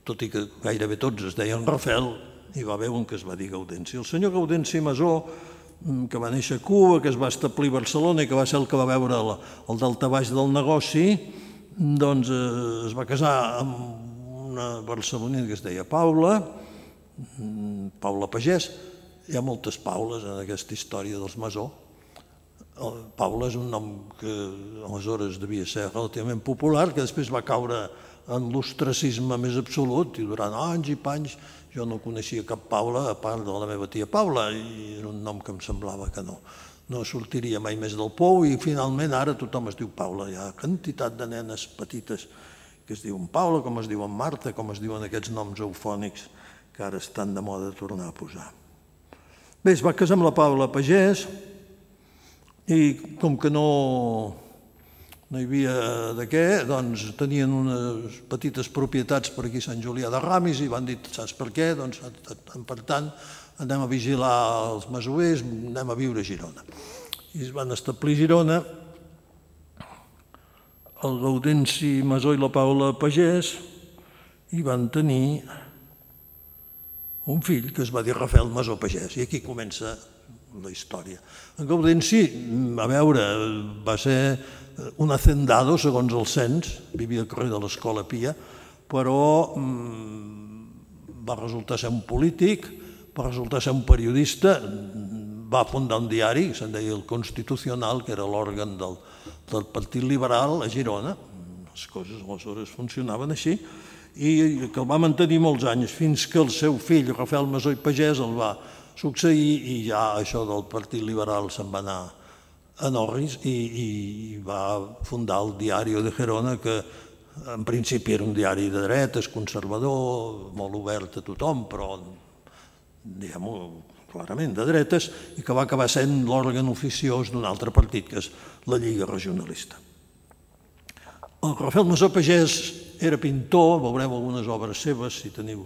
tot i que gairebé tots es deien Rafael, hi va haver un que es va dir Gaudenci. El senyor Gaudenci Masó, que va néixer a Cuba, que es va establir a Barcelona i que va ser el que va veure el daltabaix del negoci, doncs es va casar amb una barcelonina que es deia Paula Pagès. Hi ha moltes Paules en aquesta història dels Masó. Paula és un nom que aleshores devia ser relativament popular, que després va caure en l'ostracisme més absolut i durant anys i panys jo no coneixia cap Paula a part de la meva tia Paula i era un nom que em semblava que no sortiria mai més del pou i finalment ara tothom es diu Paula. Hi ha quantitat de nenes petites que es diuen Paula, com es diuen Marta, com es diuen aquests noms eufònics que ara estan de moda tornar a posar. Bé, es va casar amb la Paula Pagès i com que no hi havia de què, doncs tenien unes petites propietats per aquí a Sant Julià de Ramis i van dir, saps per què? Doncs per tant anem a vigilar els masoers, anem a viure a Girona. I es van establir a Girona el Gaudenci Masó i la Paula Pagès i van tenir un fill que es va dir Rafael Masó Pagès i aquí comença la història. En Gaudenci, a veure, va ser un hacendado segons el cens, vivia al carrer de l'Escola Pia, però va resultar ser un polític, va resultar ser un periodista, va fundar un diari, se'n deia el Constitucional, que era l'òrgan del Partit Liberal a Girona, les coses aleshores funcionaven així, i que el va mantenir molts anys, fins que el seu fill, Rafael Masó i Pagès, el va succeir i ja això del Partit Liberal se'n va anar a Norris i va fundar el Diario de Gerona, que en principi era un diari de dretes, conservador, molt obert a tothom, però diguem-ho clarament de dretes, i que va acabar sent l'òrgan oficiós d'un altre partit, que és la Lliga Regionalista. El Rafael Masó Pagès era pintor, veureu algunes obres seves, si teniu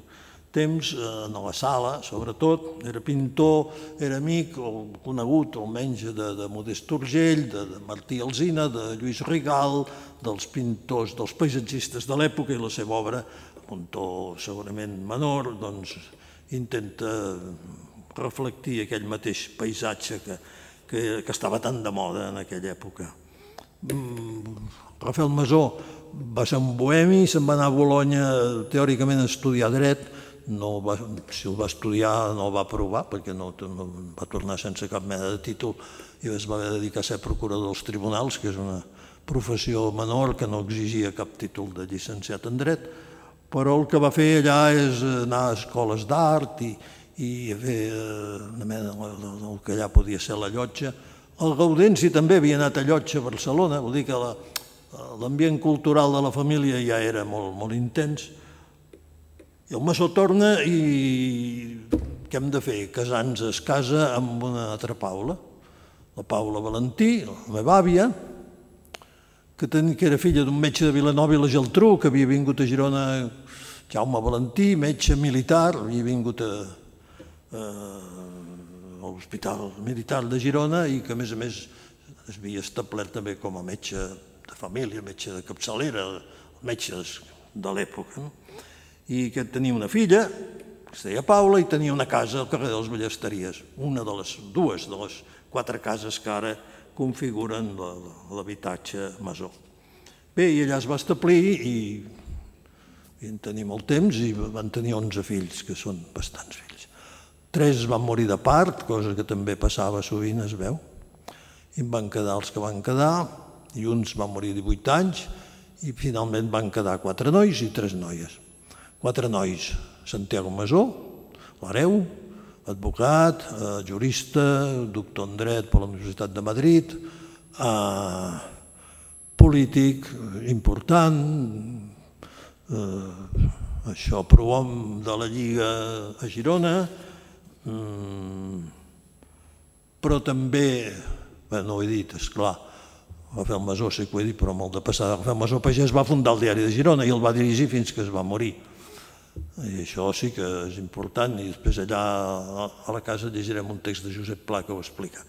temps, a la Sala, sobretot. Era pintor, era amic, o conegut, almenys, de Modest Urgell, de Martí Alsina, de Lluís Rigal, dels pintors, dels paisatgistes de l'època, i la seva obra, amb un to segurament menor, doncs intenta reflectir aquell mateix paisatge que estava tan de moda en aquella època. Rafael Masó va ser un bohemi, se'n va anar a Bolonya teòricament a estudiar dret, si el va estudiar no el va aprovar perquè no va tornar sense cap mena de títol i es va dedicar a ser procurador dels tribunals, que és una professió menor que no exigia cap títol de llicenciat en dret, però el que va fer allà és anar a escoles d'art i fer una mena del que allà podia ser la llotja. El Gaudenci també havia anat a llotja a Barcelona, vol dir que l'ambient cultural de la família ja era molt intens. I el Masó torna i què hem de fer? Casar-nos es casa amb una altra Paula, la Paula Valentí, la meva àvia, que era filla d'un metge de Vilanova i la Geltrú, que havia vingut a Girona, Jaume Valentí, metge militar, havia vingut a l'Hospital Militar de Girona i que, a més, es havia establert també com a metge de família, metge de capçalera, metges de l'època. I que tenia una filla, que es deia Paula, i tenia una casa al carrer de les Ballesteries, una de les dues de les 4 cases que ara configuren l'habitatge Masó. Bé, i allà es va establir i en tenir molt temps i van tenir 11 fills, que són bastants fills. 3 van morir de part, cosa que també passava sovint, es veu, i en van quedar els que van quedar, i uns van morir de 18 anys, i finalment van quedar 4 nois i 3 noies. 4 nois, Santiago Masó, l'hereu, advocat, jurista, doctor en dret per la Universitat de Madrid, polític important, prohom de la Lliga a Girona, però també, no ho he dit, esclar, Rafael Masó sí que ho he dit, però molt de passada, Rafael Masó Pagès va fundar el Diari de Girona i el va dirigir fins que es va morir. I això sí que és important, i després allà a la casa llegirem un text de Josep Pla que ho explica.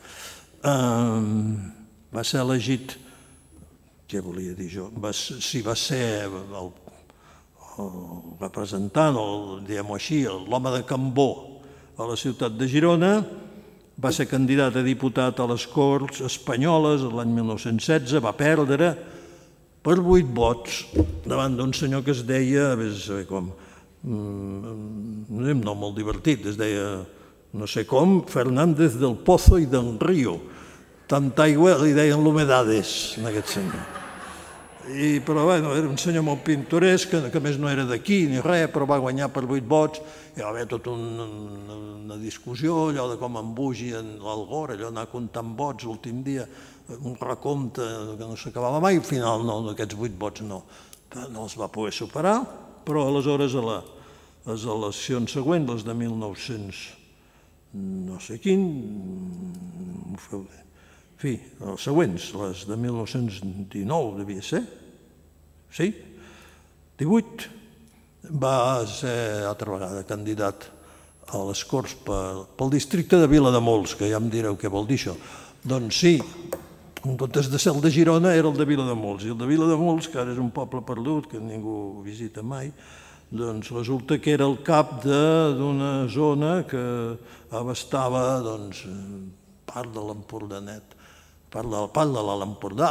Va ser elegit, què volia dir jo? Sí, va ser el representant, o diguem-ho així, l'home de Cambó a la ciutat de Girona, va ser candidat a diputat a les Corts Espanyoles l'any 1916, va perdre per 8 vots davant d'un senyor que es deia, vés a saber com, un nom molt divertit, es deia, no sé com, Fernández del Pozo i del Río. Tanta aigua li deien l'Humedades, en aquest senyor. Però bé, era un senyor molt pintoresc, que a més no era d'aquí ni res, però va guanyar per 8 vots. Hi va haver tota una discussió, allò de com embugien l'Algora, allò d'anar comptant vots l'últim dia, un recompte que no s'acabava mai, al final no, d'aquests 8 vots no els va poder superar, però aleshores a les eleccions següents, les de 1900, no sé quin, en fi, les següents, les de 1919 devia ser, sí, 18, va ser altra vegada candidat a les Corts pel districte de Vilademols, que ja em direu què vol dir això. Doncs sí, en comptes de ser el de Girona era el de Vilademols, i el de Vilademols, que ara és un poble perdut, que ningú visita mai, doncs resulta que era el cap d'una zona que abastava part de l'Empordanet, part de l'Alt Empordà,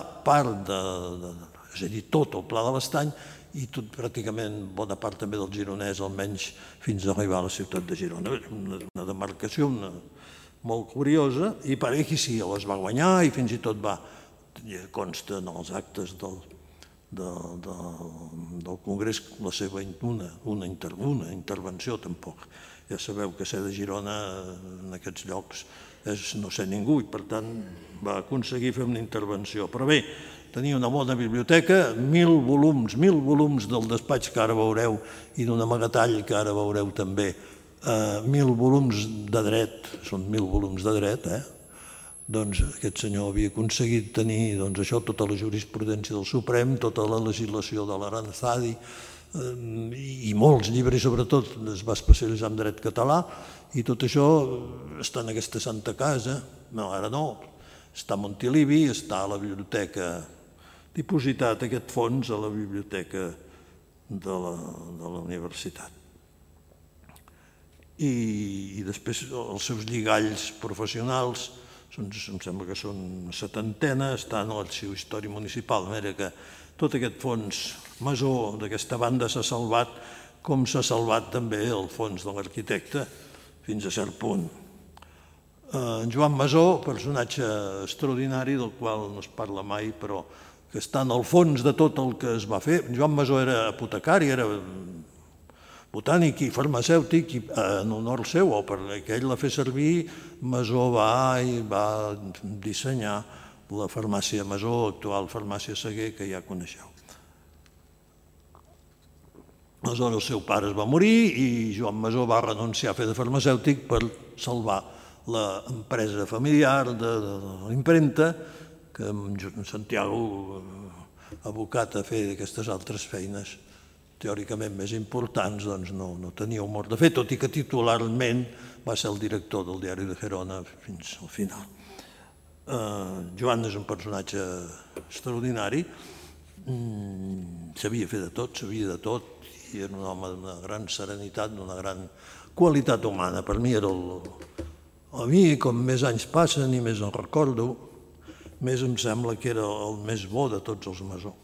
és a dir, tot el Pla de l'Estany i tot pràcticament bona part també del Gironès, almenys fins a arribar a la ciutat de Girona. Una demarcació molt curiosa, i per aquí sí, les va guanyar i fins i tot consta en els actes del Congrés la seva una intervenció, tampoc. Ja sabeu que ser de Girona en aquests llocs és no ser ningú i per tant va aconseguir fer una intervenció. Però bé, tenia una bona biblioteca, 1.000 volums del despatx que ara veureu i d'un amagatall que ara veureu també 1.000 volums de dret, són 1.000 volums de dret, doncs aquest senyor havia aconseguit tenir això, tota la jurisprudència del Suprem, tota la legislació de l'Aranzadi i molts llibres, sobretot es va especialitzar en dret català, i tot això està en aquesta santa casa. No, ara no, està a Montilivi, està a la biblioteca, dipositat aquest fons a la biblioteca de la universitat. I després els seus lligalls professionals, em sembla que són una setantena, estan a l'Arxiu Històric Municipal, de manera que tot aquest fons Masó d'aquesta banda s'ha salvat, com s'ha salvat també el fons de l'arquitecte, fins a cert punt. En Joan Masó, personatge extraordinari del qual no es parla mai, però que està en el fons de tot el que es va fer. Joan Masó era apotecari, era botànic i farmacèutic, en honor seu, o perquè ell la fer servir, Masó va dissenyar la farmàcia Masó, actual farmàcia Seguer, que ja coneixeu. Aleshores el seu pare es va morir i Joan Masó va renunciar a fer de farmacèutic per salvar l'empresa familiar de l'impremta, que en Santiago, abocat a fer aquestes altres feines teòricament més importants, doncs no tenia humor de fer, tot i que titularment va ser el director del diari de Gerona fins al final. Joan és un personatge extraordinari, sabia fer de tot, i era un home d'una gran serenitat, d'una gran qualitat humana. Per mi era a mi, com més anys passen i més en recordo, més em sembla que era el més bo de tots els Masó.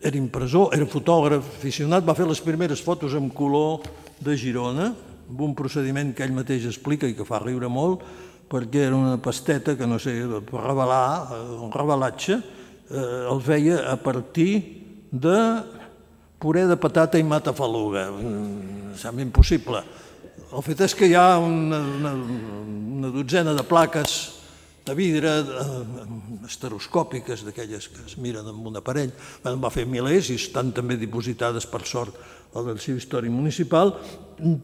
Era impressor, era fotògraf aficionat, va fer les primeres fotos en color de Girona, amb un procediment que ell mateix explica i que fa riure molt, perquè era una pasteta que, no sé, per revelar, un revelatge, el feia a partir de puré de patata i matafaluga. Sembla impossible. El fet és que hi ha una dotzena de plaques de vidre estereoscòpiques, d'aquelles que es miren amb un aparell. En va fer milers i estan també dipositades, per sort, a l'Arxiu Històric Municipal,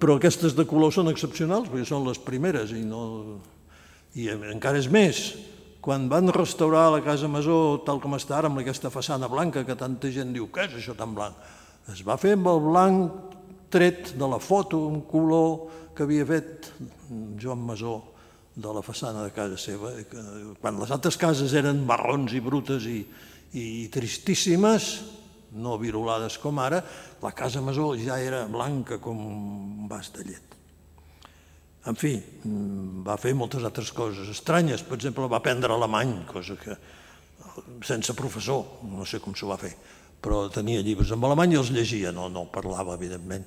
però aquestes de color són excepcionals, perquè són les primeres i encara és més. Quan van restaurar la Casa Masó tal com està ara, amb aquesta façana blanca que tanta gent diu, què és això tan blanc? Es va fer amb el blanc tret de la foto, un color que havia fet Joan Masó de la façana de casa seva. Quan les altres cases eren marrons i brutes i tristíssimes, no virolades com ara, la Casa Masó ja era blanca com un vas de llet. En fi, va fer moltes altres coses estranyes. Per exemple, va aprendre alemany, cosa que sense professor, no sé com s'ho va fer, però tenia llibres en alemany i els llegia, no parlava, evidentment.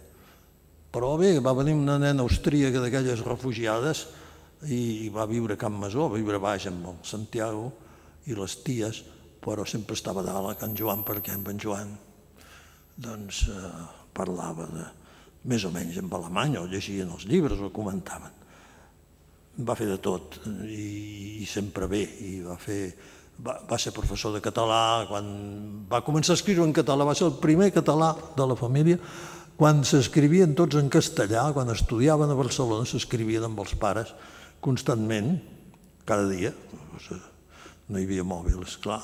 Però bé, va venir una nena austríaca d'aquelles refugiades i va viure a Can Masó, va viure baix amb el Santiago i les ties, però sempre estava dalt a Can Joan, perquè amb en Joan parlava més o menys en alemany, o llegien els llibres o comentaven. Va fer de tot i sempre bé, i va ser professor de català. Quan va començar a escriure en català, va ser el primer català de la família. Quan s'escrivien tots en castellà, quan estudiaven a Barcelona, s'escrivien amb els pares constantment, cada dia. No hi havia mòbil, esclar.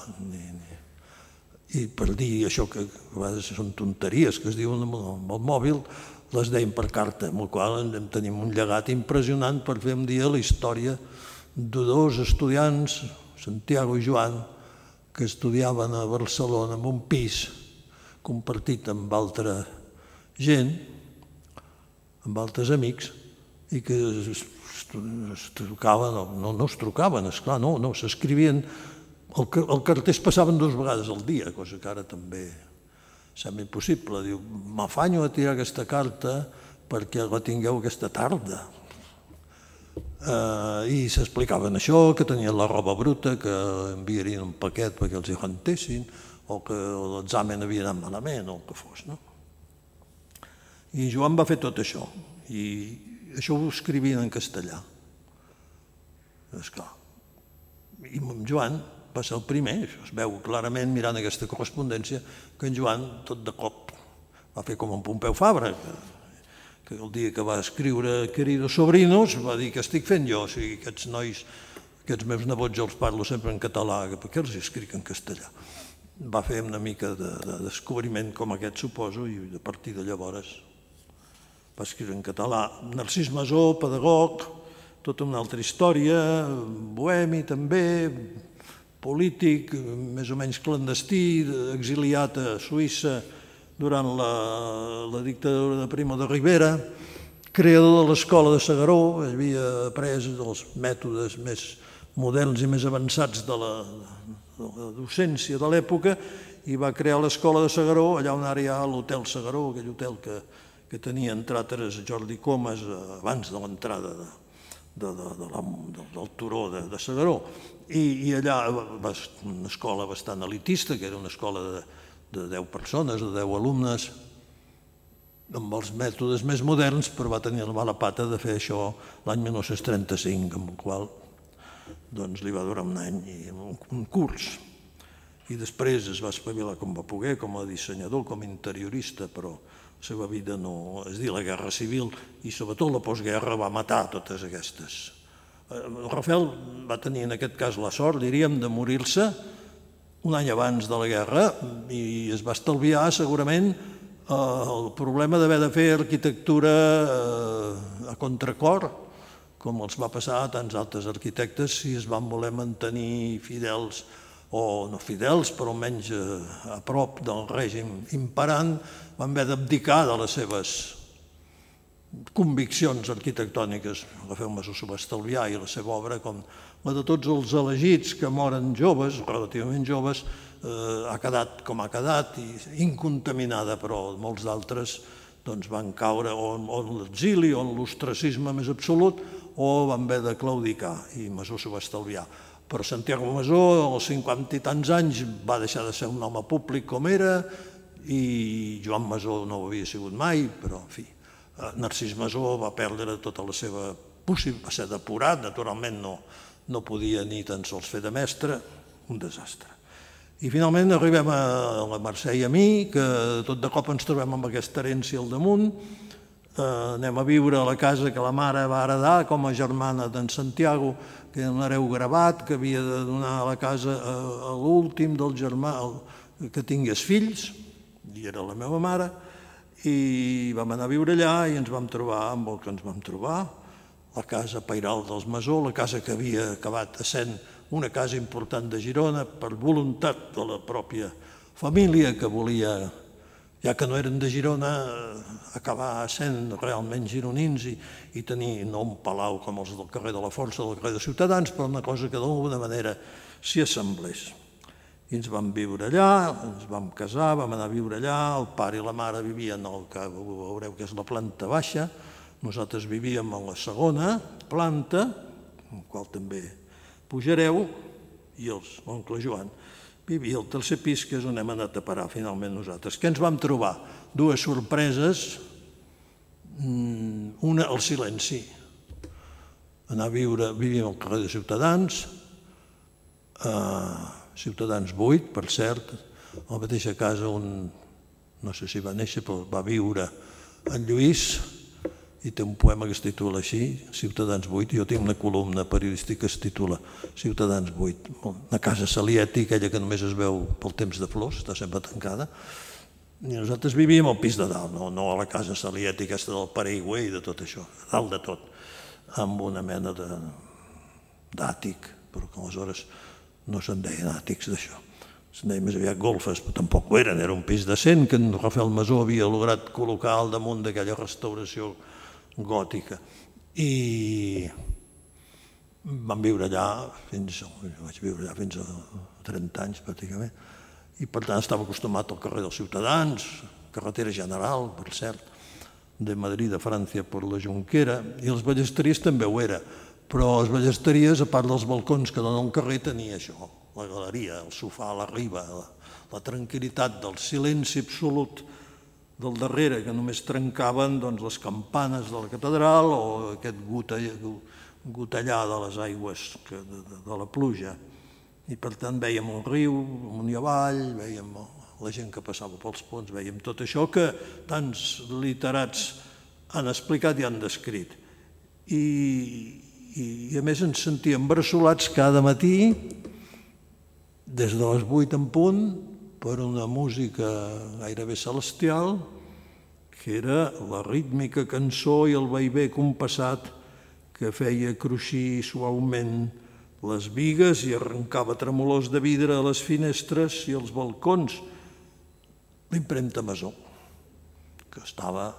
I per dir això que a vegades són tonteries que es diuen amb el mòbil, les deien per carta, amb la qual tenim un llegat impressionant per fer un dia la història de dos estudiants, Santiago i Joan, que estudiaven a Barcelona en un pis compartit amb altra gent, amb altres amics, i que es trucaven, no es trucaven, esclar, no, s'escrivien, el carter es passaven 2 vegades al dia, cosa que ara també sembla impossible. Diu, m'afanyo a tirar aquesta carta perquè la tingueu aquesta tarda. I s'explicaven això, que tenien la roba bruta, que enviarien un paquet perquè els hi rentessin, o que l'examen havia anat malament, o el que fos. I Joan va fer tot això, i això ho escrivien en castellà. Esclar. I amb Joan va ser el primer, això es veu clarament mirant aquesta correspondència, que en Joan tot de cop Va fer com en Pompeu Fabra, que el dia que va escriure Queridos sobrinos va dir que estic fent jo, o sigui, aquests nois, aquests meus nebots jo els parlo sempre en català, per què els escric en castellà? Va fer una mica de descobriment com aquest, suposo, i a partir de llavors va escriure en català. Narcís Masó, pedagog, tota una altra història, bohemi també, polític, més o menys clandestí, exiliat a Suïssa durant la dictadura de Primo de Rivera, creador de l'Escola de S'Agaró, havia après els mètodes més moderns i més avançats de la docència de l'època i va crear l'Escola de S'Agaró, allà on ara hi ha l'Hotel S'Agaró, aquell hotel que tenia, entre altres, Jordi Comas abans de l'entrada del turó de S'Agaró. I allà va ser una escola bastant elitista, que era una escola de 10 persones, de 10 alumnes, amb els mètodes més moderns, però va tenir la mala pata de fer això l'any 1935, amb el qual li va durar un any i un curs. I després es va espavilar com va poder, com a dissenyador, com a interiorista, però la seva vida no... És a dir, la Guerra Civil i sobretot la postguerra va matar totes aquestes. Rafael va tenir en aquest cas la sort, diríem, de morir-se un any abans de la guerra i es va estalviar segurament el problema d'haver de fer arquitectura a contracor, com els va passar a tants altres arquitectes si es van voler mantenir fidels, o no fidels, però almenys a prop del règim imperant, van haver d'abdicar de les seves conviccions arquitectòniques. Rafael Masó s'ho va estalviar i la seva obra, com la de tots els elegits que moren joves, relativament joves, ha quedat com ha quedat, incontaminada, però molts d'altres van caure o en l'exili o en l'ostracisme més absolut o van haver de claudicar i Masó s'ho va estalviar. Però Santiago Masó, als 50 i tants anys, va deixar de ser un home públic com era i Joan Masó no ho havia sigut mai, però en fi, Narcís Masó va perdre tota la seva possibilitat, va ser depurat, naturalment no podia ni tan sols fer de mestre, un desastre. I finalment arribem a la Mercè i a mi, que tot de cop ens trobem amb aquesta herència al damunt, anem a viure a la casa que la mare va heredar com a germana d'en Santiago, que era un hereu gravat, que havia de donar a la casa a l'últim del germà que tingués fills, i era la meva mare, i vam anar a viure allà i ens vam trobar amb el que ens vam trobar, la casa pairal dels Masó, la casa que havia acabat essent una casa important de Girona per voluntat de la pròpia família que volia, ja que no eren de Girona, acabar sent realment gironins i tenir no un palau com els del carrer de la Força o del carrer de Ciutadans, però una cosa que d'alguna manera s'hi assemblés. I ens vam viure allà, ens vam casar, vam anar a viure allà, el pare i la mare vivien al que veureu que és la planta baixa, nosaltres vivíem a la segona planta, en qual també pujareu, i l'oncle Joan vivia al tercer pis, que és on hem anat a parar finalment nosaltres. Què ens vam trobar? Dues sorpreses, una, el silenci. Anar a viure, vivíem al carrer de Ciutadans, Ciutadans 8, per cert, a la mateixa casa on, no sé si va néixer, però va viure en Lluís, i té un poema que es titula així, Ciutadans 8, i jo tinc una columna periodística que es titula Ciutadans 8, una casa Salieti, aquella que només es veu pel temps de flors, està sempre tancada, i nosaltres vivíem al pis de dalt, no a la casa Salieti aquesta del Paraigüer i de tot això, a dalt de tot, amb una mena d'àtic, però que aleshores no se'n deien àtics d'això, se'n deien més aviat golfes, però tampoc ho eren, era un pis decent que en Rafael Masó havia lograt col·locar al damunt d'aquella restauració gòtica. I vam viure allà vaig viure allà fins a 30 anys pràcticament, i per tant estava acostumat al carrer dels Ciutadans, carretera general, per cert, de Madrid a França per la Jonquera, i les ballesteries també ho era, però les ballesteries, a part dels balcons que donen al carrer, tenia això, la galeria, el sofà a la riba, la tranquil·litat del silenci absolut del darrere, que només trencaven les campanes de la catedral o aquest gotellar de les aigües de la pluja. I per tant vèiem el riu amunt i avall, vèiem la gent que passava pels ponts, veiem tot això que tants literats han explicat i han descrit. I a més ens sentíem bressolats cada matí, des de les 8 en punt, per una música gairebé celestial, que era la rítmica cançó i el vaivé compassat que feia cruixir suaument les bigues i arrencava tremolors de vidre a les finestres i als balcons. L'impremta Masó, que estava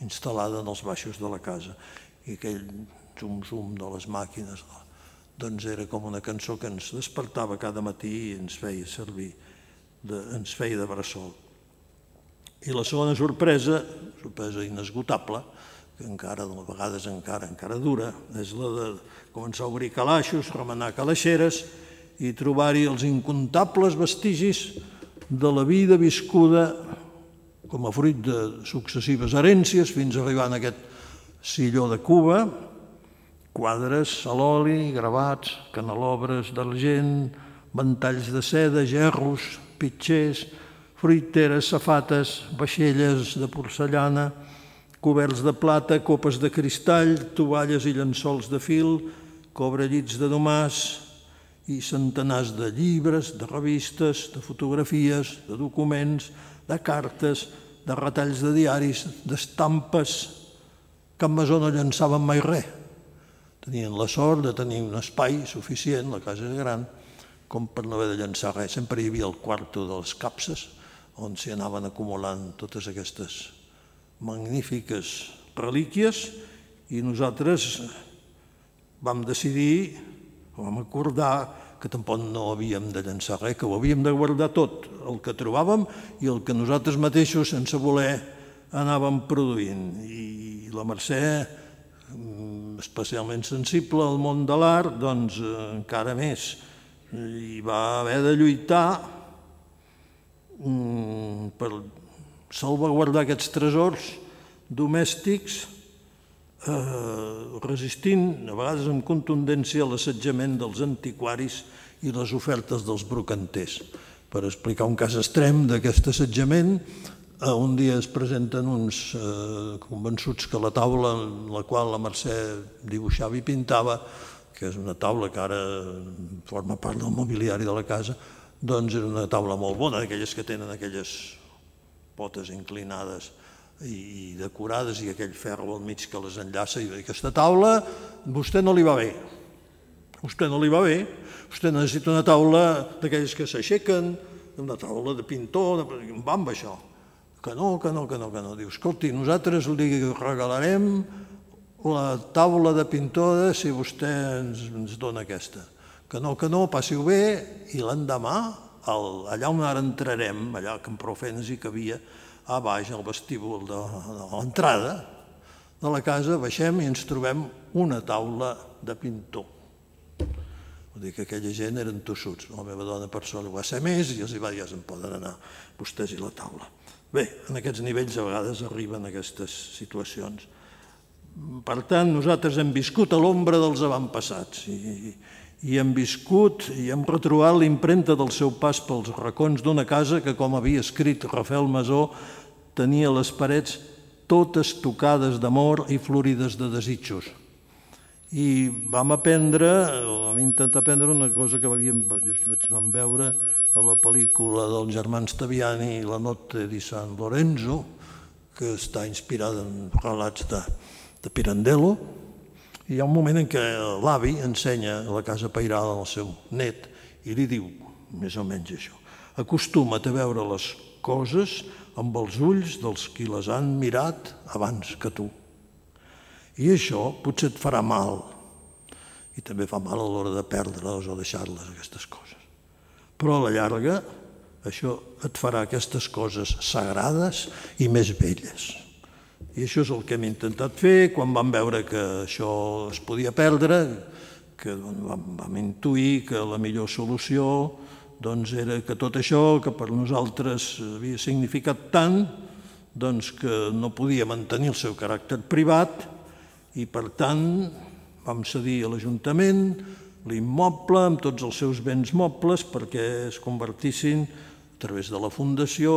instal·lada en els baixos de la casa, i aquell zum-zum de les màquines, doncs era com una cançó que ens despertava cada matí i ens feia servir, ens feia de bressol. I la segona sorpresa inesgotable, que encara, de vegades encara dura, és la de començar a obrir calaixos, remenar calaixeres i trobar-hi els incomptables vestigis de la vida viscuda com a fruit de successives herències fins a arribar en aquest silló de Cuba, quadres a l'oli, gravats, canelobres d'argent, ventalls de seda, gerros, pitxers, fruiteres, safates, vaixelles de porcellana, coberts de plata, copes de cristall, tovalles i llençols de fil, cobrellits de domàs i centenars de llibres, de revistes, de fotografies, de documents, de cartes, de retalls de diaris, d'estampes. Cap Masó no llançaven mai res. Tenien la sort de tenir un espai suficient, la casa era gran, com per no haver de llançar res. Sempre hi havia el quarto de les capses, on s'hi anaven acumulant totes aquestes magnífiques relíquies, i nosaltres vam decidir, vam acordar que tampoc no havíem de llançar res, que ho havíem de guardar tot, el que trobàvem i el que nosaltres mateixos, sense voler, anàvem produint. I la Mercè, especialment sensible al món de l'art, doncs encara més. I va haver de lluitar per salvaguardar aquests tresors domèstics, resistint, a vegades amb contundència, l'assetjament dels antiquaris i les ofertes dels brocanters. Per explicar un cas extrem d'aquest assetjament, un dia es presenten uns convençuts que la taula en la qual la Mercè dibuixava i pintava, que és una taula que ara forma part del mobiliari de la casa, doncs era una taula molt bona, d'aquelles que tenen aquelles potes inclinades i decorades i aquell ferro al mig que les enllaça, i aquesta taula a vostè no li va bé. A vostè no li va bé, vostè necessita una taula d'aquelles que s'aixequen, una taula de pintor, va amb això. Que no. Diu, escolti, nosaltres li regalarem la taula de pintor si vostè ens dona aquesta. Que no, passi-ho bé, i l'endemà, allà on ara entrarem, allà que amb prou feines hi cabia, a baix, al vestíbul de l'entrada de la casa, baixem i ens trobem una taula de pintor. Vull dir que aquella gent eren tossuts. La meva dona per sort ho va ser més i els va dir, ja se'n poden anar vostès i la taula. Bé, en aquests nivells a vegades arriben aquestes situacions. Per tant, nosaltres hem viscut a l'ombra dels avantpassats i hem viscut i hem retrobat l'impremta del seu pas pels racons d'una casa que, com havia escrit Rafael Masó, tenia les parets totes tocades d'amor i florides de desitjos. I vam intentar aprendre una cosa que vam veure a la pel·lícula dels germans Taviani, La notte di San Lorenzo, que està inspirada en relats de Pirandello. I hi ha un moment en què l'avi ensenya la casa pairal al seu net i li diu, més o menys això, acostuma't a veure les coses amb els ulls dels qui les han mirat abans que tu. I això potser et farà mal, i també fa mal a l'hora de perdre-les o deixar-les, aquestes coses. Però a la llarga això et farà aquestes coses sagrades i més belles. I això és el que hem intentat fer quan vam veure que això es podia perdre, que vam intuir que la millor solució era que tot això que per nosaltres havia significat tant, que no podia mantenir el seu caràcter privat i per tant vam cedir a l'Ajuntament l'immoble amb tots els seus béns mobles perquè es convertissin través de la Fundació,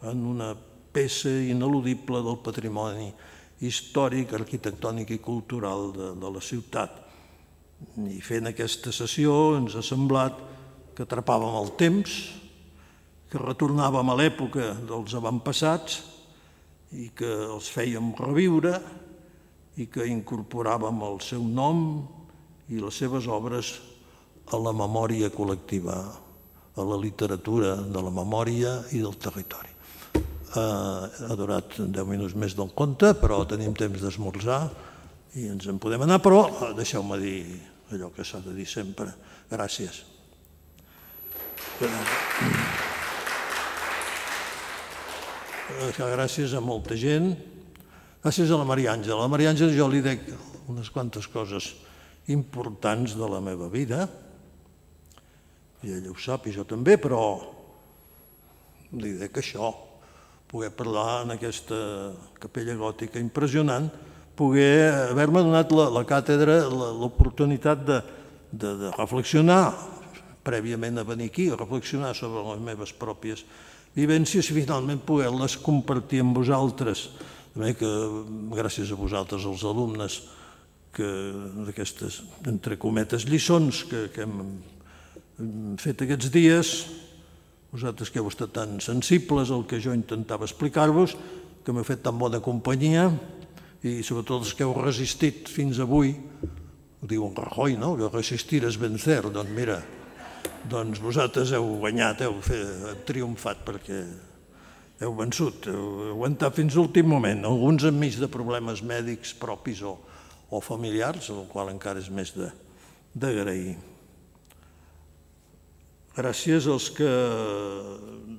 en una peça ineludible del patrimoni històric, arquitectònic i cultural de la ciutat. I fent aquesta sessió ens ha semblat que atrapàvem el temps, que retornàvem a l'època dels avantpassats i que els fèiem reviure i que incorporàvem el seu nom i les seves obres a la memòria col·lectiva, a la literatura de la memòria i del territori. Ha durat 10 minuts més del compte, però tenim temps d'esmorzar i ens en podem anar, però deixeu-me dir allò que s'ha de dir sempre. Gràcies. Gràcies a molta gent. Gràcies a la Maria Àngela. A la Maria Àngela jo li dec unes quantes coses importants de la meva vida, i ella ho sap i jo també, però li dec això, poder parlar en aquesta capella gòtica impressionant, poder haver-me donat la càtedra l'oportunitat de reflexionar prèviament a venir aquí, reflexionar sobre les meves pròpies vivències i finalment poder-les compartir amb vosaltres. També que gràcies a vosaltres, els alumnes, d'aquestes, entre cometes, lliçons que hem fet aquests dies, vosaltres que heu estat tan sensibles al que jo intentava explicar-vos, que m'heu fet tan bona companyia, i sobretot els que heu resistit fins avui, ho diu en Rajoy, no?, que resistir és vencer. Doncs mira, doncs vosaltres heu guanyat, heu triomfat perquè heu vençut, heu aguantat fins a l'últim moment, alguns enmig de problemes mèdics propis o familiars, el qual encara és més d'agrair. Gràcies als que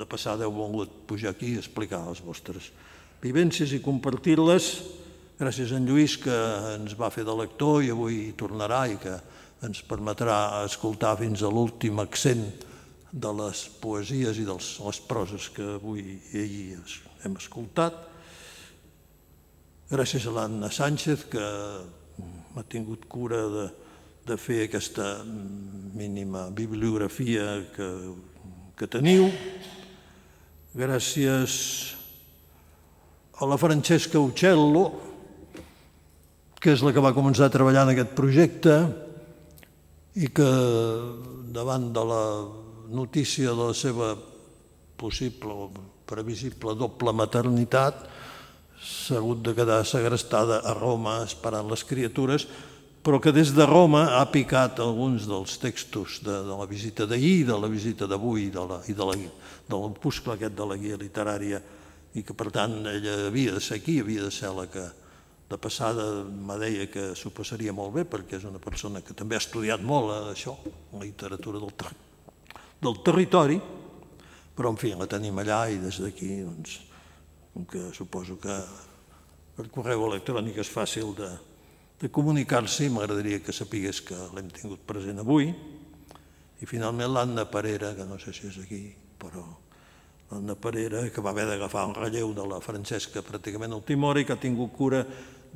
de passada heu volgut pujar aquí i explicar les vostres vivències i compartir-les. Gràcies a en Lluís, que ens va fer de lector i avui hi tornarà i que ens permetrà escoltar fins a l'últim accent de les poesies i de les proses que avui hem escoltat. Gràcies a l'Anna Sánchez, que m'ha tingut cura de fer aquesta mínima bibliografia que teniu. Gràcies a la Francesca Uccello, que és la que va començar a treballar en aquest projecte i que davant de la notícia de la seva possible o previsible doble maternitat s'ha hagut de quedar segrestada a Roma esperant les criatures, però que des de Roma ha picat alguns dels textos de la visita d'ahir, de la visita d'avui i de l'opuscle aquest de la guia literària, i que per tant ella havia de ser aquí, havia de ser la que de passada me deia que s'ho passaria molt bé, perquè és una persona que també ha estudiat molt això, la literatura del territori, però en fi, la tenim allà i des d'aquí, doncs, com que suposo que per correu electrònic és fàcil de comunicar-s'hi, m'agradaria que sapigués que l'hem tingut present avui. I finalment l'Anna Parera, que no sé si és aquí, però l'Anna Parera, que va haver d'agafar un relleu de la Francesca pràcticament a última hora i que ha tingut cura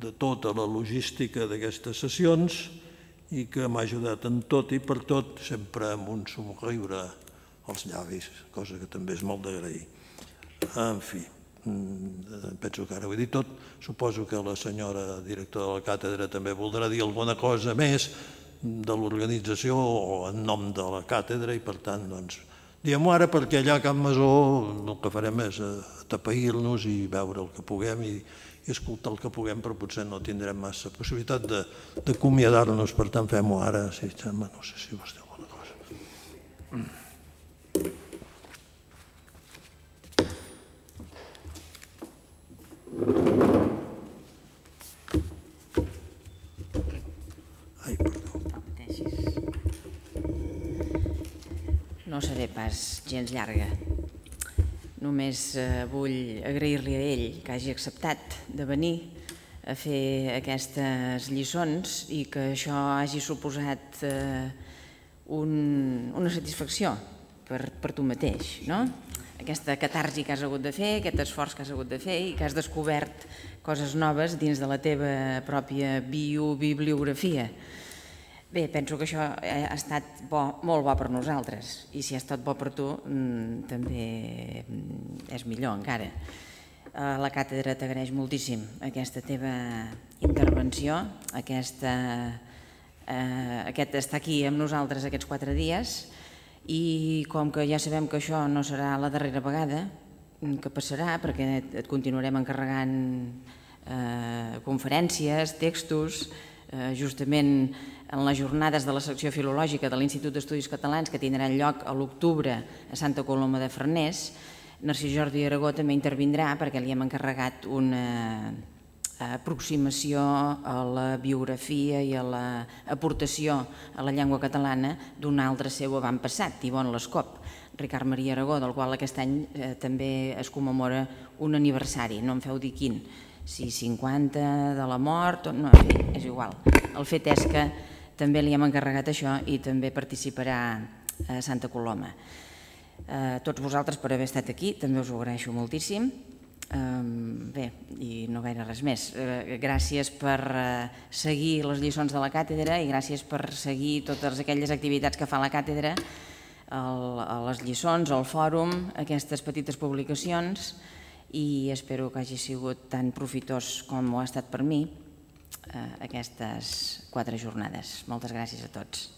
de tota la logística d'aquestes sessions i que m'ha ajudat en tot i per tot, sempre amb un somriure als llavis, cosa que també és molt d'agrair. En fi, penso que ara ho he dit tot. Suposo que la senyora directora de la càtedra també voldrà dir alguna cosa més de l'organització o en nom de la càtedra i per tant, doncs, diguem-ho ara perquè allà a Can Masó el que farem és atapeir-nos i veure el que puguem i escoltar el que puguem, però potser no tindrem massa possibilitat d'acomiadar-nos, per tant fem-ho ara, no sé si vols dir alguna cosa. Ai, perdó. No seré pas gens llarga. Només vull agrair-li a ell que hagi acceptat de venir a fer aquestes lliçons i que això hagi suposat una satisfacció per tu mateix, no? Aquesta catarsi que has hagut de fer, aquest esforç que has hagut de fer i que has descobert coses noves dins de la teva pròpia bibliografia. Bé, penso que això ha estat molt bo per nosaltres i si ha estat bo per tu també és millor encara. La càtedra t'agraeix moltíssim aquesta teva intervenció, aquest estar aquí amb nosaltres aquests 4 dies i com que ja sabem que això no serà la darrera vegada que passarà perquè et continuarem encarregant conferències, textos, justament en les jornades de la secció filològica de l'Institut d'Estudis Catalans que tindran lloc a l'octubre a Santa Coloma de Farners. Narcís Jordi Aragó també intervindrà perquè li hem encarregat una aproximació a la biografia i a l'aportació a la llengua catalana d'un altre seu avantpassat, Ivonne Lescop, Ricard Maria Aragó, del qual aquest any també es commemora un aniversari, no em feu dir quin, si 50 de la mort, no, en fi, és igual. El fet és que també li hem encarregat això i també participarà a Santa Coloma. Tots vosaltres per haver estat aquí, també us ho agraeixo moltíssim. Bé, i no gaire res més. Gràcies per seguir les lliçons de la càtedra i gràcies per seguir totes aquelles activitats que fa la càtedra, les lliçons, el fòrum, aquestes petites publicacions, i espero que hagi sigut tan profitós com ho ha estat per mi aquestes 4 jornades. Moltes gràcies a tots.